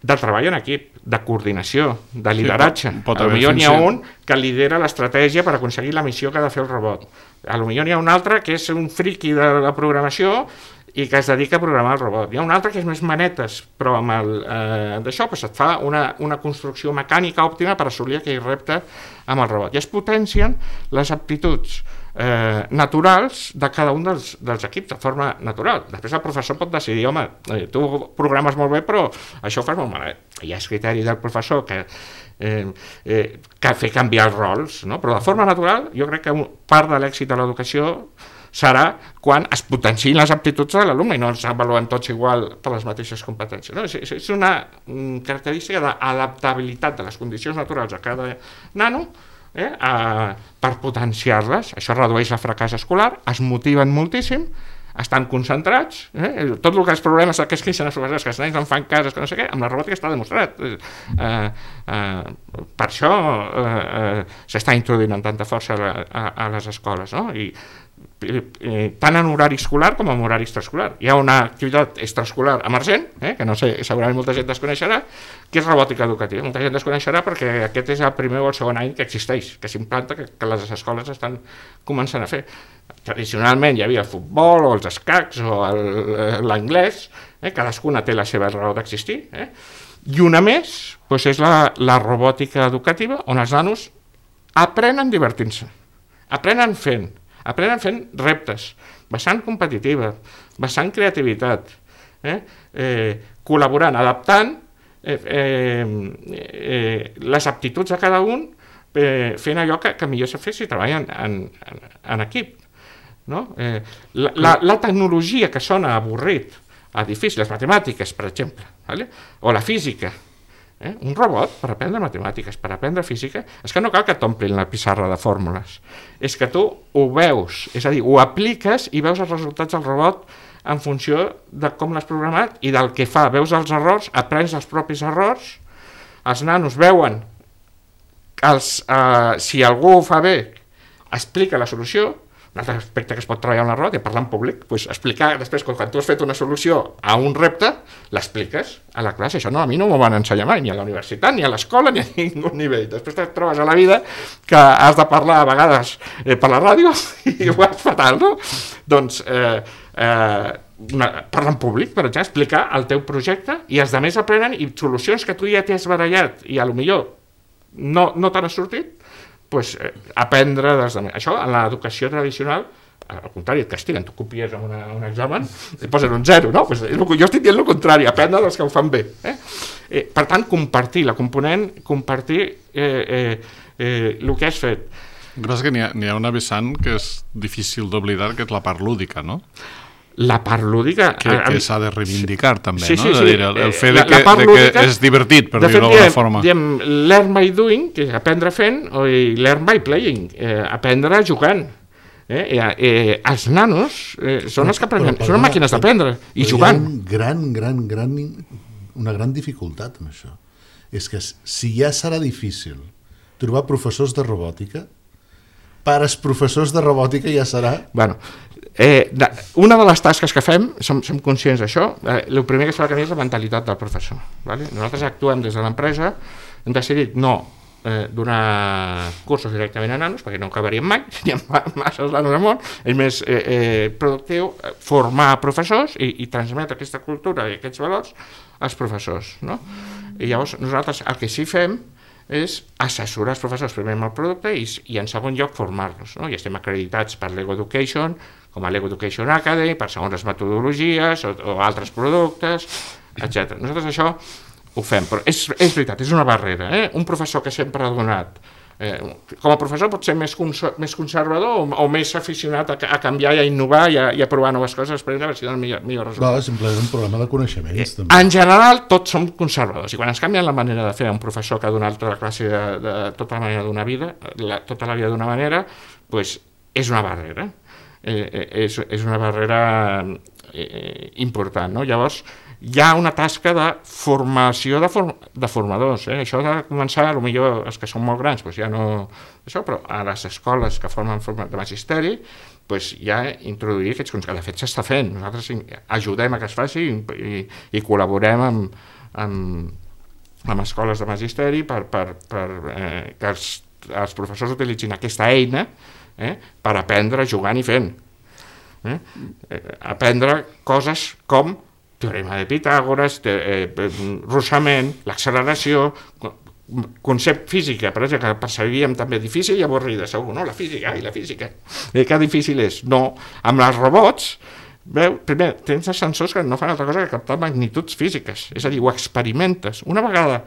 de treball en equip, de coordinació, de lideratge. Sí, pot, pot potser n'hi ha un que lidera l'estratègia per aconseguir la missió que ha de fer el robot. Potser n'hi ha un altre que és un friqui de la programació i que es dedica a programar el robot. Hi ha un altre que és més manetes, però amb el, eh, d'això pues et fa una, una construcció mecànica òptima per assolir aquell repte amb el robot. I es potencien les aptituds eh, naturals de cada un dels, dels equips de forma natural. Després el professor pot decidir, home, eh, tu programes molt bé però això ho fas molt malament. Hi ha criteri del professor que, eh, eh, que fer canviar els rols, no? Però de forma natural jo crec que part de l'èxit de l'educació serà quan es potenciïn les aptituds de l'alumne i no els avaluen tots igual per les mateixes competències. No? És, és una característica d'adaptabilitat de les condicions naturals a cada nano, eh, a, per potenciar-les. Això redueix el fracàs escolar, es motiven moltíssim, estan concentrats, eh? Tot el que els problemes que es queixen els professors, que els nens no fan cases, que no sé què, amb la robòtica està demostrat. Eh, eh, per això eh, eh, s'està introduint amb tanta força a, a, a les escoles, no? I Eh, tant en horari escolar com en horari extraescolar. Hi ha una activitat extraescolar emergent, eh, que no sé, segurament molta gent desconeixerà, que és robòtica educativa. Molta gent desconeixerà perquè aquest és el primer o el segon any que existeix, que s'implanta, que, que les escoles estan començant a fer. Tradicionalment hi havia el futbol o els escacs o l'anglès, eh, cadascuna té la seva raó d'existir, eh? I una més doncs és la, la robòtica educativa, on els nanos aprenen divertint-se, aprenen fent, aprenen fent reptes, vessant competitiva, vessant creativitat, eh? Eh, col·laborant, adaptant eh, eh, eh, les aptituds de cada un, eh, fent allò que, que millor se fa si treballen en, en, en equip. No? Eh, la, la, la tecnologia que sona avorrit, a difícil, les matemàtiques, per exemple, vale? O la física, Eh? Un robot, per aprendre matemàtiques, per aprendre física, és que no cal que t'omplin la pissarra de fórmules, és que tu ho veus, és a dir, ho apliques i veus els resultats del robot en funció de com l'has programat i del que fa, veus els errors, aprens els propis errors, els nanos veuen els, eh, si algú ho fa bé, explica la solució. Un altre aspecte que es pot treballar en la robòtica, parlar en públic, doncs explicar després, quan tu has fet una solució a un repte, l'expliques a la classe. Això no, a mi no m'ho van ensenyar mai, ni a la universitat, ni a l'escola, ni a ningú nivell. Després et trobes a la vida que has de parlar a vegades eh, per la ràdio i ho vas fatal, no? Doncs eh, eh, una, parlar en públic, per exemple, explicar el teu projecte i els altres aprenen i solucions que tu ja t'has barallat i a lo millor no, no t'han sortit, pues, eh, aprendre dels altres. Això en l'educació tradicional, al contrari, et castiguen, tu copies en una, un examen i posen un zero, no? Pues, jo estic dient el contrari, aprendre dels que ho fan bé. Eh? Eh, per tant, compartir la component, compartir eh, eh, eh, el que has fet. El que passa que n'hi ha, n'hi ha una vessant que és difícil d'oblidar, que és la part lúdica, no? La part lúdica... Que, que s'ha de reivindicar, també, sí, no? Sí, sí. De dir, el, el fet la, de, que, la de lúdica, que és divertit, per dir-ho d'alguna forma. Diem, learn by doing, que és aprendre fent, o learn by playing, eh, aprendre jugant. Eh, eh, eh, els nanos eh, són els que aprenen, són màquines d'aprendre i jugant. Hi ha un gran, gran, gran, una gran dificultat en això. És que si ja serà difícil trobar professors de robòtica, per als professors de robòtica ja serà... Bueno, eh, una de les tasques que fem, som, som conscients d'això, eh, el primer que es fa és la mentalitat del professor. Vale? Nosaltres actuem des de l'empresa, hem decidit no eh, donar cursos directament a nanos, perquè no acabaríem mai, hi ha massa nanos al món, és més eh, eh, productiu formar professors i, i transmetre aquesta cultura i aquests valors als professors. No? I llavors nosaltres el que sí fem és assessorar els professors primer amb el producte i, i en segon lloc formar-los, no? I estem acreditats per Lego Education, com a Lego Education Academy, per segons les metodologies o, o altres productes, etcètera. Nosaltres això ho fem, però és, és veritat, és una barrera. Eh? Un professor que sempre ha donat, eh, com a professor pot ser més, més conservador o, o més aficionat a, a canviar i a innovar i a, i a provar noves coses per a veure si donen millor, millor resultat. No, simplement és un problema de coneixements. Eh, també. En general, tots som conservadors i quan ens canvien la manera de fer a un professor que ha donat tota la classe de, de tota la manera d'una vida, la, tota la vida d'una manera, pues, és una barrera. Eh, és, és una barrera eh, important, no? Llavors, hi ha una tasca de formació de, form de formadors. Eh? Això ha de començar, potser els que són molt grans, doncs ja no... Això, però a les escoles que formen de magisteri, doncs ja introduir aquests conceptes, que de fet s'està fent. Nosaltres ajudem a que es faci i, i, i col·laborem amb, amb, amb escoles de magisteri per, per, per eh, que els, els professors utilitzin aquesta eina eh, per aprendre jugant i fent. Eh? Eh, aprendre coses com teorema de Pitàgores, te, eh, russament, l'acceleració, concepte física, per exemple, que percebíem també difícil i avorrida, segur, no? La física, ai, la física. Eh, que difícil és? No. Amb els robots, veu, primer, tens els sensors que no fan altra cosa que captar magnituds físiques, és a dir, ho experimentes. Una vegada,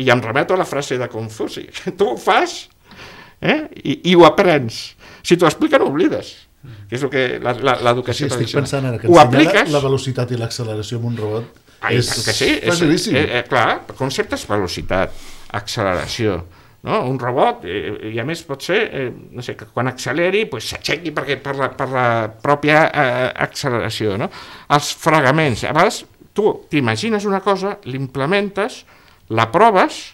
i em remeto a la frase de Confuci, tu ho fas eh, i, i ho aprens. Si t'ho expliquen, ho oblides. Que és el que l'educació sí, tradicional. Estic pensant ara que ho ensenyar apliques, la velocitat i l'acceleració amb un robot ai, és que sí, facilíssim. És, eh, clar, conceptes velocitat, acceleració, no? Un robot, eh, i a més pot ser, eh, no sé, que quan acceleri pues, s'aixequi perquè per la, per la pròpia eh, acceleració, no? Els fregaments, a vegades tu t'imagines una cosa, l'implementes, la proves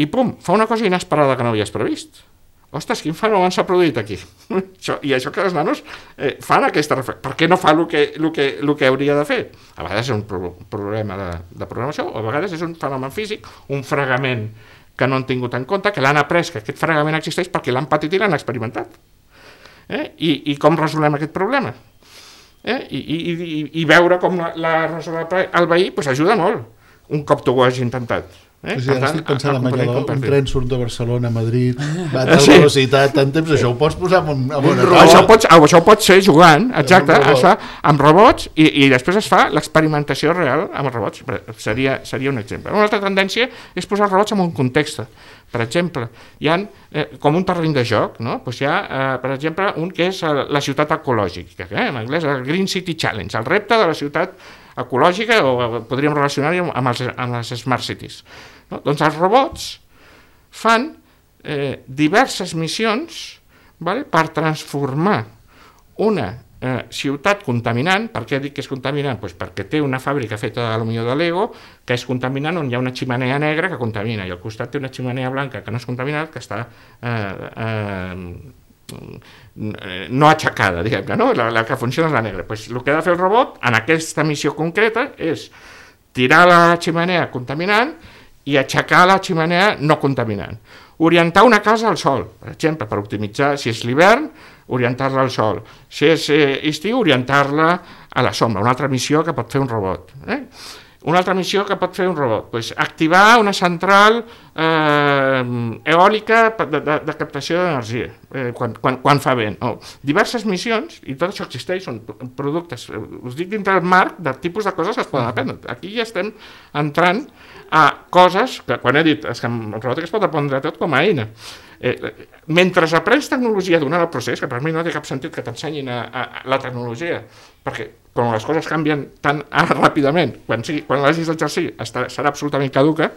i pum, fa una cosa inesperada que no havies previst. Ostres, quin fenomen s'ha produït aquí? Això, i això que els nanos eh, fan aquesta reflexió. Per què no fa el que, el que, el que hauria de fer? A vegades és un pro problema de, de programació, o a vegades és un fenomen físic, un fregament que no han tingut en compte, que l'han après, que aquest fregament existeix perquè l'han patit i l'han experimentat. Eh? I, I com resolem aquest problema? Eh? I, i, i, I veure com l'ha resolt el veí pues, ajuda molt, un cop tu ho hagis intentat. Eh? Sí, ara estic pensant en allò d'un tren surt de Barcelona a Madrid, va a tal sí. velocitat, tant temps, això ho pots posar en, un, en una robot. Això, pots, això pot ser jugant, exacte, robot. Això, amb robots, i, i després es fa l'experimentació real amb els robots, seria, seria un exemple. Una altra tendència és posar els robots en un context. Per exemple, hi ha eh, com un terreny de joc, no? Pues hi ha, eh, per exemple, un que és la ciutat ecològica, eh? En anglès el Green City Challenge, el repte de la ciutat ecològica, o podríem relacionar-ho amb, els, amb les Smart Cities. No? Doncs els robots fan eh, diverses missions, vale, per transformar una eh, ciutat contaminant. Per què dic que és contaminant? Pues perquè té una fàbrica feta a lo millor de Lego, que és contaminant, on hi ha una ximenea negra que contamina, i al costat té una ximenea blanca que no és contaminada, que està eh, eh, no aixecada, diguem-ne, no? La, la que funciona és la negra. Pues el que ha de fer el robot en aquesta missió concreta és tirar la ximenea contaminant i aixecar la ximenea no contaminant. Orientar una casa al sol, per exemple, per optimitzar, si és l'hivern, orientar-la al sol. Si és eh, estiu, orientar-la a la sombra. Una altra missió que pot fer un robot. Eh? Una altra missió que pot fer un robot, pues, activar una central eh, eòlica de, de, de captació d'energia, eh, quan, quan, quan fa vent. Oh, diverses missions, i tot això existeix, són productes, us dic dintre del marc de tipus de coses que es poden aprendre. Aquí ja estem entrant a coses que, quan he dit, és que el robòtic es pot aprendre tot com a eina. Eh, mentre aprens tecnologia durant el procés, que per mi no té cap sentit que t'ensenyin a, a, a la tecnologia, perquè quan les coses canvien tan ah, ràpidament, quan, sigui, quan l'hagis d'exercir serà absolutament caduca,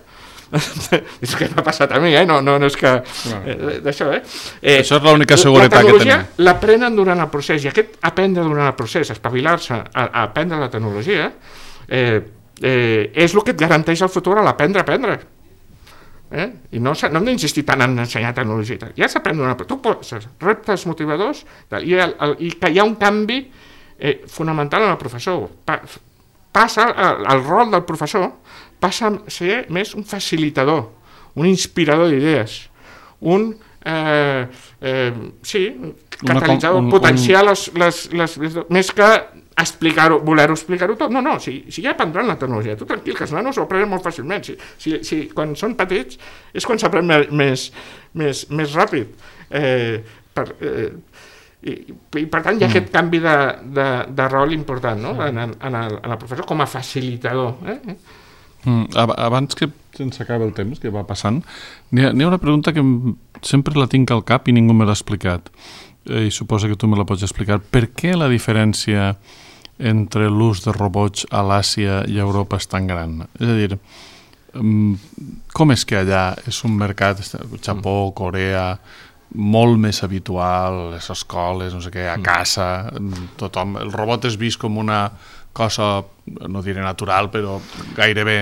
és que m'ha passat a mi, eh? no, no, no és que... Eh, d'això, eh? eh? Això és l'única seguretat que tenim. La tecnologia l'aprenen durant el procés, i aquest aprendre durant el procés, espavilar-se a, a aprendre la tecnologia, eh, eh, és el que et garanteix el futur a l'aprendre a aprendre. Eh? I no, no hem d'insistir tant en ensenyar tecnologia. Ja s'aprèn d'una... Tu poses reptes motivadors i, el, el, i que hi ha un canvi eh, fonamental en el professor. Pa, passa, el, el rol del professor passa a ser més un facilitador, un inspirador d'idees, un... Eh, eh, sí, catalitzador, un, un, potenciar un... les, les, les, les... més que explicar-ho, voler-ho explicar-ho tot. No, no, si, si ja aprendran la tecnologia, tu tranquil, que els nanos ho aprenen molt fàcilment. Si, si, si quan són petits és quan s'aprèn més, més, més ràpid. Eh, per, eh, i, I per tant hi ha mm. aquest canvi de, de, de rol important, no? en, en, en, el, en el professor com a facilitador. Eh? Mm, abans que se'ns acaba el temps, que va passant, n'hi ha, n'hi ha una pregunta que sempre la tinc al cap i ningú me l'ha explicat. Eh, I suposo que tu me la pots explicar. Per què la diferència entre l'ús de robots a l'Àsia i a Europa és tan gran? És a dir, com és que allà és un mercat, Japó, Corea, molt més habitual, les escoles, no sé què, a casa, tothom, el robot és vist com una cosa, no diré natural, però gairebé,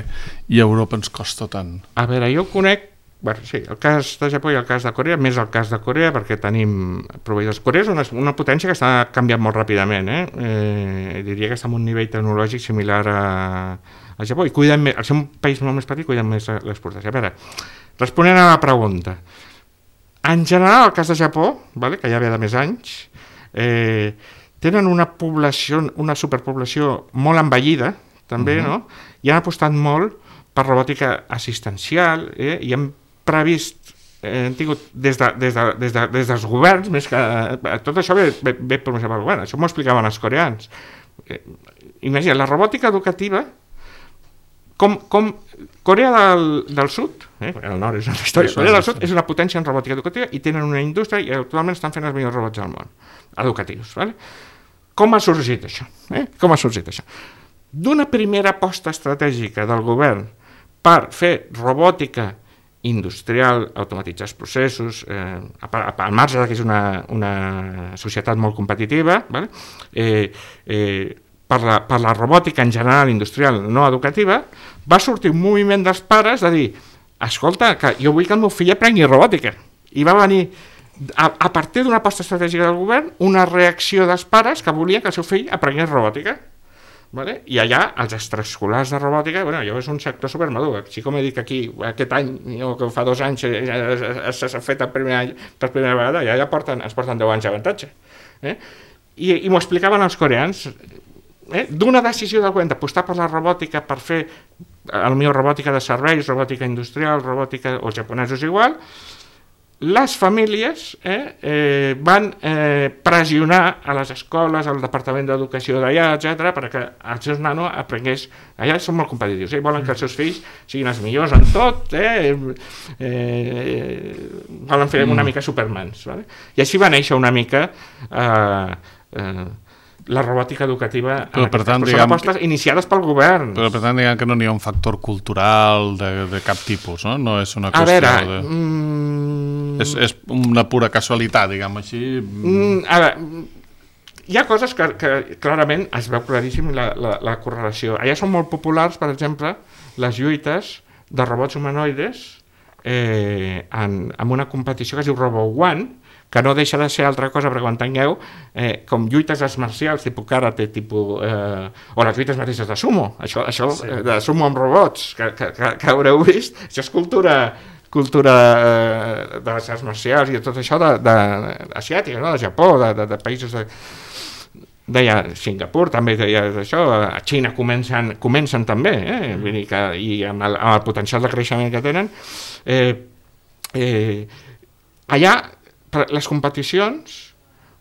i a Europa ens costa tant. A veure, jo conec, bueno, sí, el cas de Japó i el cas de Corea, més el cas de Corea, perquè tenim proveïdors. Corea és una, una potència que està canviant molt ràpidament, eh? Eh, diria que està en un nivell tecnològic similar a, a Japó, i cuiden més, al ser un país molt més petit, cuiden més l'exportació. A veure, responent a la pregunta, en general, el cas de Japó, vale, que ja ve de més anys, eh, tenen una població, una superpoblació molt envellida, també, uh-huh. no? I han apostat molt per robòtica assistencial, eh? I han previst, eh, han tingut des, de, des, de, des, de, des dels governs, més que eh, tot això ve, ve, ve promocionat pel govern, això m'ho explicaven els coreans. Eh, imagina, la robòtica educativa, com, com Corea del, del Sud, eh? el nord és una història, Corea del Sud és una potència en robòtica educativa i tenen una indústria i actualment estan fent els millors robots del món, educatius. Vale? Com ha sorgit això? Eh? Com ha sorgit això? D'una primera aposta estratègica del govern per fer robòtica industrial, automatitzar els processos, eh, al marge que és una, una societat molt competitiva, vale? eh, eh, per, la, per la robòtica en general industrial no educativa, va sortir un moviment dels pares de dir, escolta, que jo vull que el meu fill aprengui robòtica. I va venir, a, a partir d'una aposta estratègica del govern, una reacció dels pares que volien que el seu fill aprengués robòtica. Vale? I allà, els extraescolars de robòtica, bueno, allò és un sector supermadur. Així com he dit que aquí, aquest any, o que fa dos anys, ja s'ha fet el primer any, per primera vegada, ja, ja porten, ens porten deu anys d'avantatge. Eh? I, i m'ho explicaven els coreans. Eh? D'una decisió del govern d'apostar per la robòtica per fer, potser robòtica de serveis, robòtica industrial, robòtica, o japonesos igual, les famílies eh, eh, van eh, pressionar a les escoles, al Departament d'Educació d'allà, etcètera, perquè els seus nanos aprengués. Allà són molt competitius, eh? Volen que els seus fills siguin els millors en tot, eh? Eh, volen fer una mica supermans. Vale? I així va néixer una mica eh, eh, la robòtica educativa, però, per tant, diguem, apostes iniciades pel govern. Però per tant, diguem que no n'hi ha un factor cultural de, de cap tipus, no? No és una qüestió veure, de... Mm... És, és una pura casualitat, diguem així. Mm, a veure, hi ha coses que, que clarament es veu claríssim la, la, la correlació. Allà són molt populars, per exemple, les lluites de robots humanoides eh, en, en una competició que es diu Robo One, que no deixa de ser altra cosa, perquè ho entengueu, eh, com lluites arts marcials, tipus karate, tipus, eh, o les lluites mateixes de sumo, això, això sí. eh, de sumo amb robots, que, que, que, que haureu vist, això és cultura, cultura eh, de les arts marcials i tot això de, de, asiàtica, no? De Japó, de, de, de països de... deia Singapur també deia això, a Xina comencen, comencen també, eh? Vull dir que, i amb el, amb el potencial de creixement que tenen, eh, eh, allà les competicions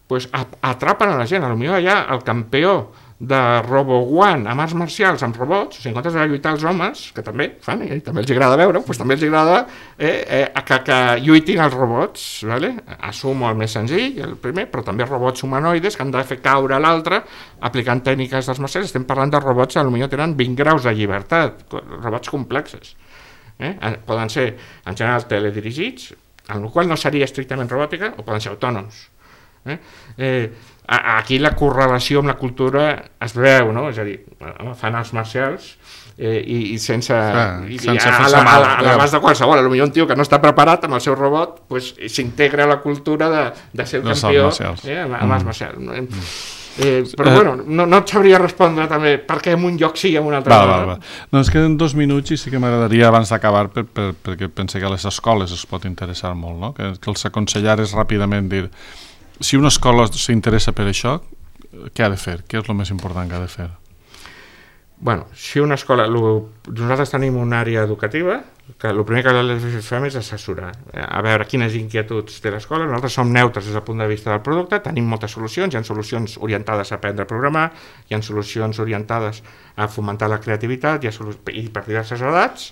pues, atrapen a la gent. Potser allà el campió de Robo One amb arts marcials, amb robots, o sigui, en comptes de lluitar els homes, que també fan, eh? També els agrada veure, pues, també els agrada eh, eh, que, que lluitin els robots, ¿vale? Assumo el més senzill, el primer, però també robots humanoides que han de fer caure l'altre aplicant tècniques d'arts marcials. Estem parlant de robots que potser tenen vint graus de llibertat, robots complexes. Eh? Poden ser, en general, teledirigits, en el qual no seria estrictament robòtica, o poden ser autònoms. Eh? Eh, aquí la correlació amb la cultura es veu, no? És a dir, fan arts marcials eh, i, i sense, Clar, i, sense a, a, a, a l'abast de qualsevol, potser un tio que no està preparat amb el seu robot pues, s'integra a la cultura de, de ser el Les campió arts eh, amb, amb arts marcials. Mm. Eh, però eh, bueno, no, no et sabria respondre també per què en un lloc sí i en un altre va, no. Va, va. No, és que en dos minuts i sí que m'agradaria abans d'acabar per, per, perquè pense que a les escoles es pot interessar molt, no? que, que els aconsellares ràpidament dir si una escola s'interessa per això, què ha de fer? Què és el més important que ha de fer? Bueno, si una escola... Lo, nosaltres tenim una àrea educativa que el primer que fem és assessorar, a veure quines inquietuds té l'escola. Nosaltres som neutres des del punt de vista del producte, tenim moltes solucions, hi ha solucions orientades a aprendre a programar, hi ha solucions orientades a fomentar la creativitat i, a, i per diverses edats.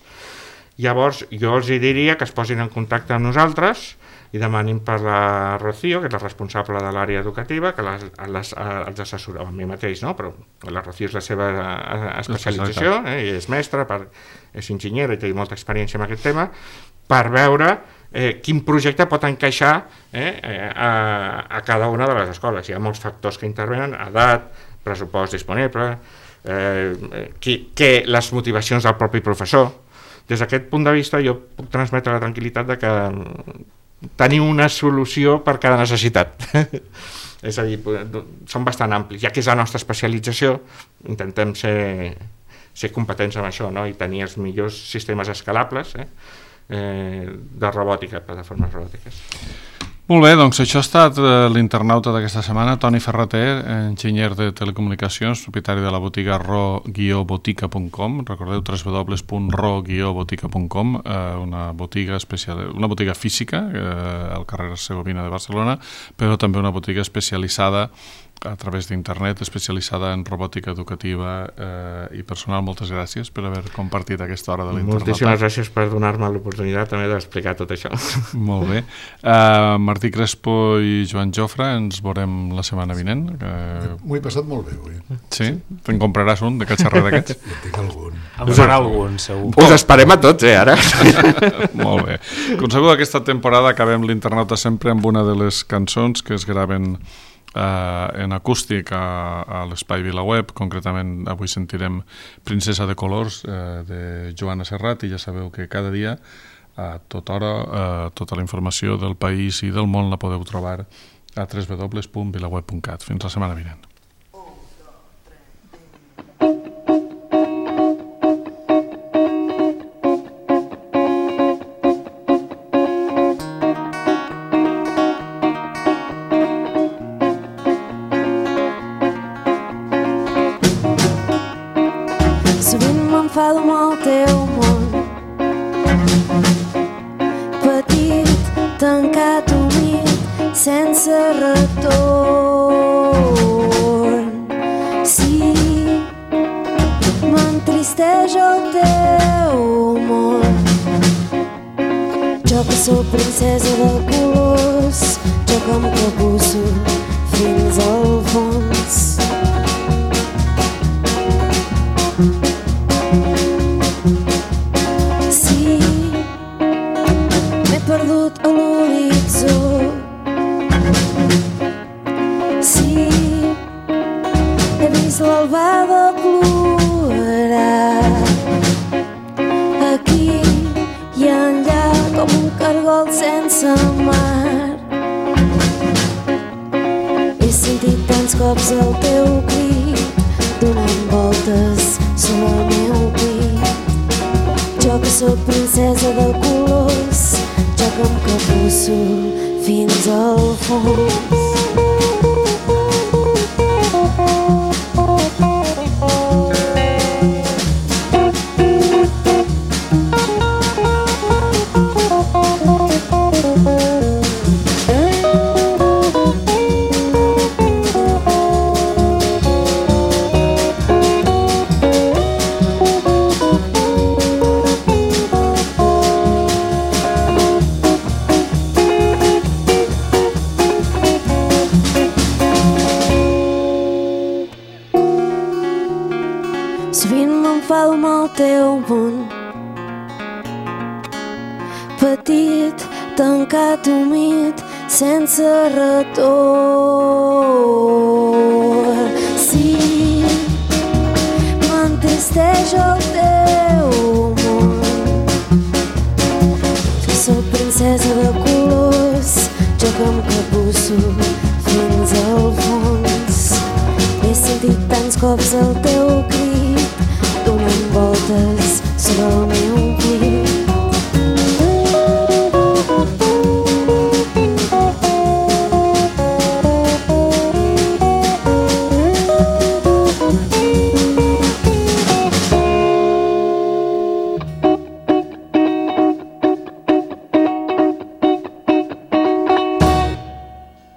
Llavors, jo els diria que es posin en contacte amb nosaltres i demanin per la Rocío, que és la responsable de l'àrea educativa, que les, les, els assessora, a mi mateix, no? Però la Rocío és la seva especialització, eh? I és mestra, per, és enginyera i té molta experiència en aquest tema, per veure eh, quin projecte pot encaixar eh, a, a cada una de les escoles. Hi ha molts factors que intervenen, edat, pressupost disponible, eh, qui, que les motivacions del propi professor. Des d'aquest punt de vista jo puc transmetre la tranquil·litat de que tenir una solució per cada necessitat. És a dir, són bastant amplis. Ja que és la nostra especialització, intentem ser, ser competents en això, no? I tenir els millors sistemes escalables eh? Eh, de robòtica, plataformes robòtiques. Molt bé, doncs això ha estat l'internauta d'aquesta setmana, Toni Ferrater, enginyer de telecomunicacions, propietari de la botiga ro guió botica punt com, recordeu w w w punt ro guió botica punt com, una botiga especial, una botiga física al carrer Segovina de Barcelona, però també una botiga especialitzada a través d'internet, especialitzada en robòtica educativa eh, i personal. Moltes gràcies per haver compartit aquesta hora de l'internauta. Moltíssimes gràcies per donar-me l'oportunitat també d'explicar tot això. Molt bé. Uh, Martí Crespo i Joan Jofre, ens veurem la setmana vinent. Uh... M'ho he passat molt bé avui. Sí? Te'n compraràs un de catxarrer d'aquests? Ja tinc algun. En farà algun, segur. Us esperem a tots, eh, ara. Molt bé. Com segur, aquesta temporada acabem l'internauta sempre amb una de les cançons que es graven Uh, en acústic a, a l'Espai VilaWeb. Concretament avui sentirem Princesa de Colors uh, de Joana Serrat, i ja sabeu que cada dia a tota hora uh, tota la informació del país i del món la podeu trobar a w w w punt vilaweb punt cat. Fins la setmana vinent. M'enfado amb el teu món petit, tancat, humit, sense retorn. Sí, m'entristeix el teu món. Jo que sóc princesa de colors, jo que em capusso fins al fons. Perdut a l'horitzó. Sí, he vist l'albada plorar aquí i enllà com un cargol sense mar. He sentit tants cops el teu crit donant voltes sobre el meu pit. Jo que sóc princesa de colors, jo que em capusso fins al fons. Teu món petit, tancat, humit, sense retorn. Sí, m'entristeix el teu món. Jo sóc princesa de colors, jo que em capusso fins al fons. He sentit tants cops el teu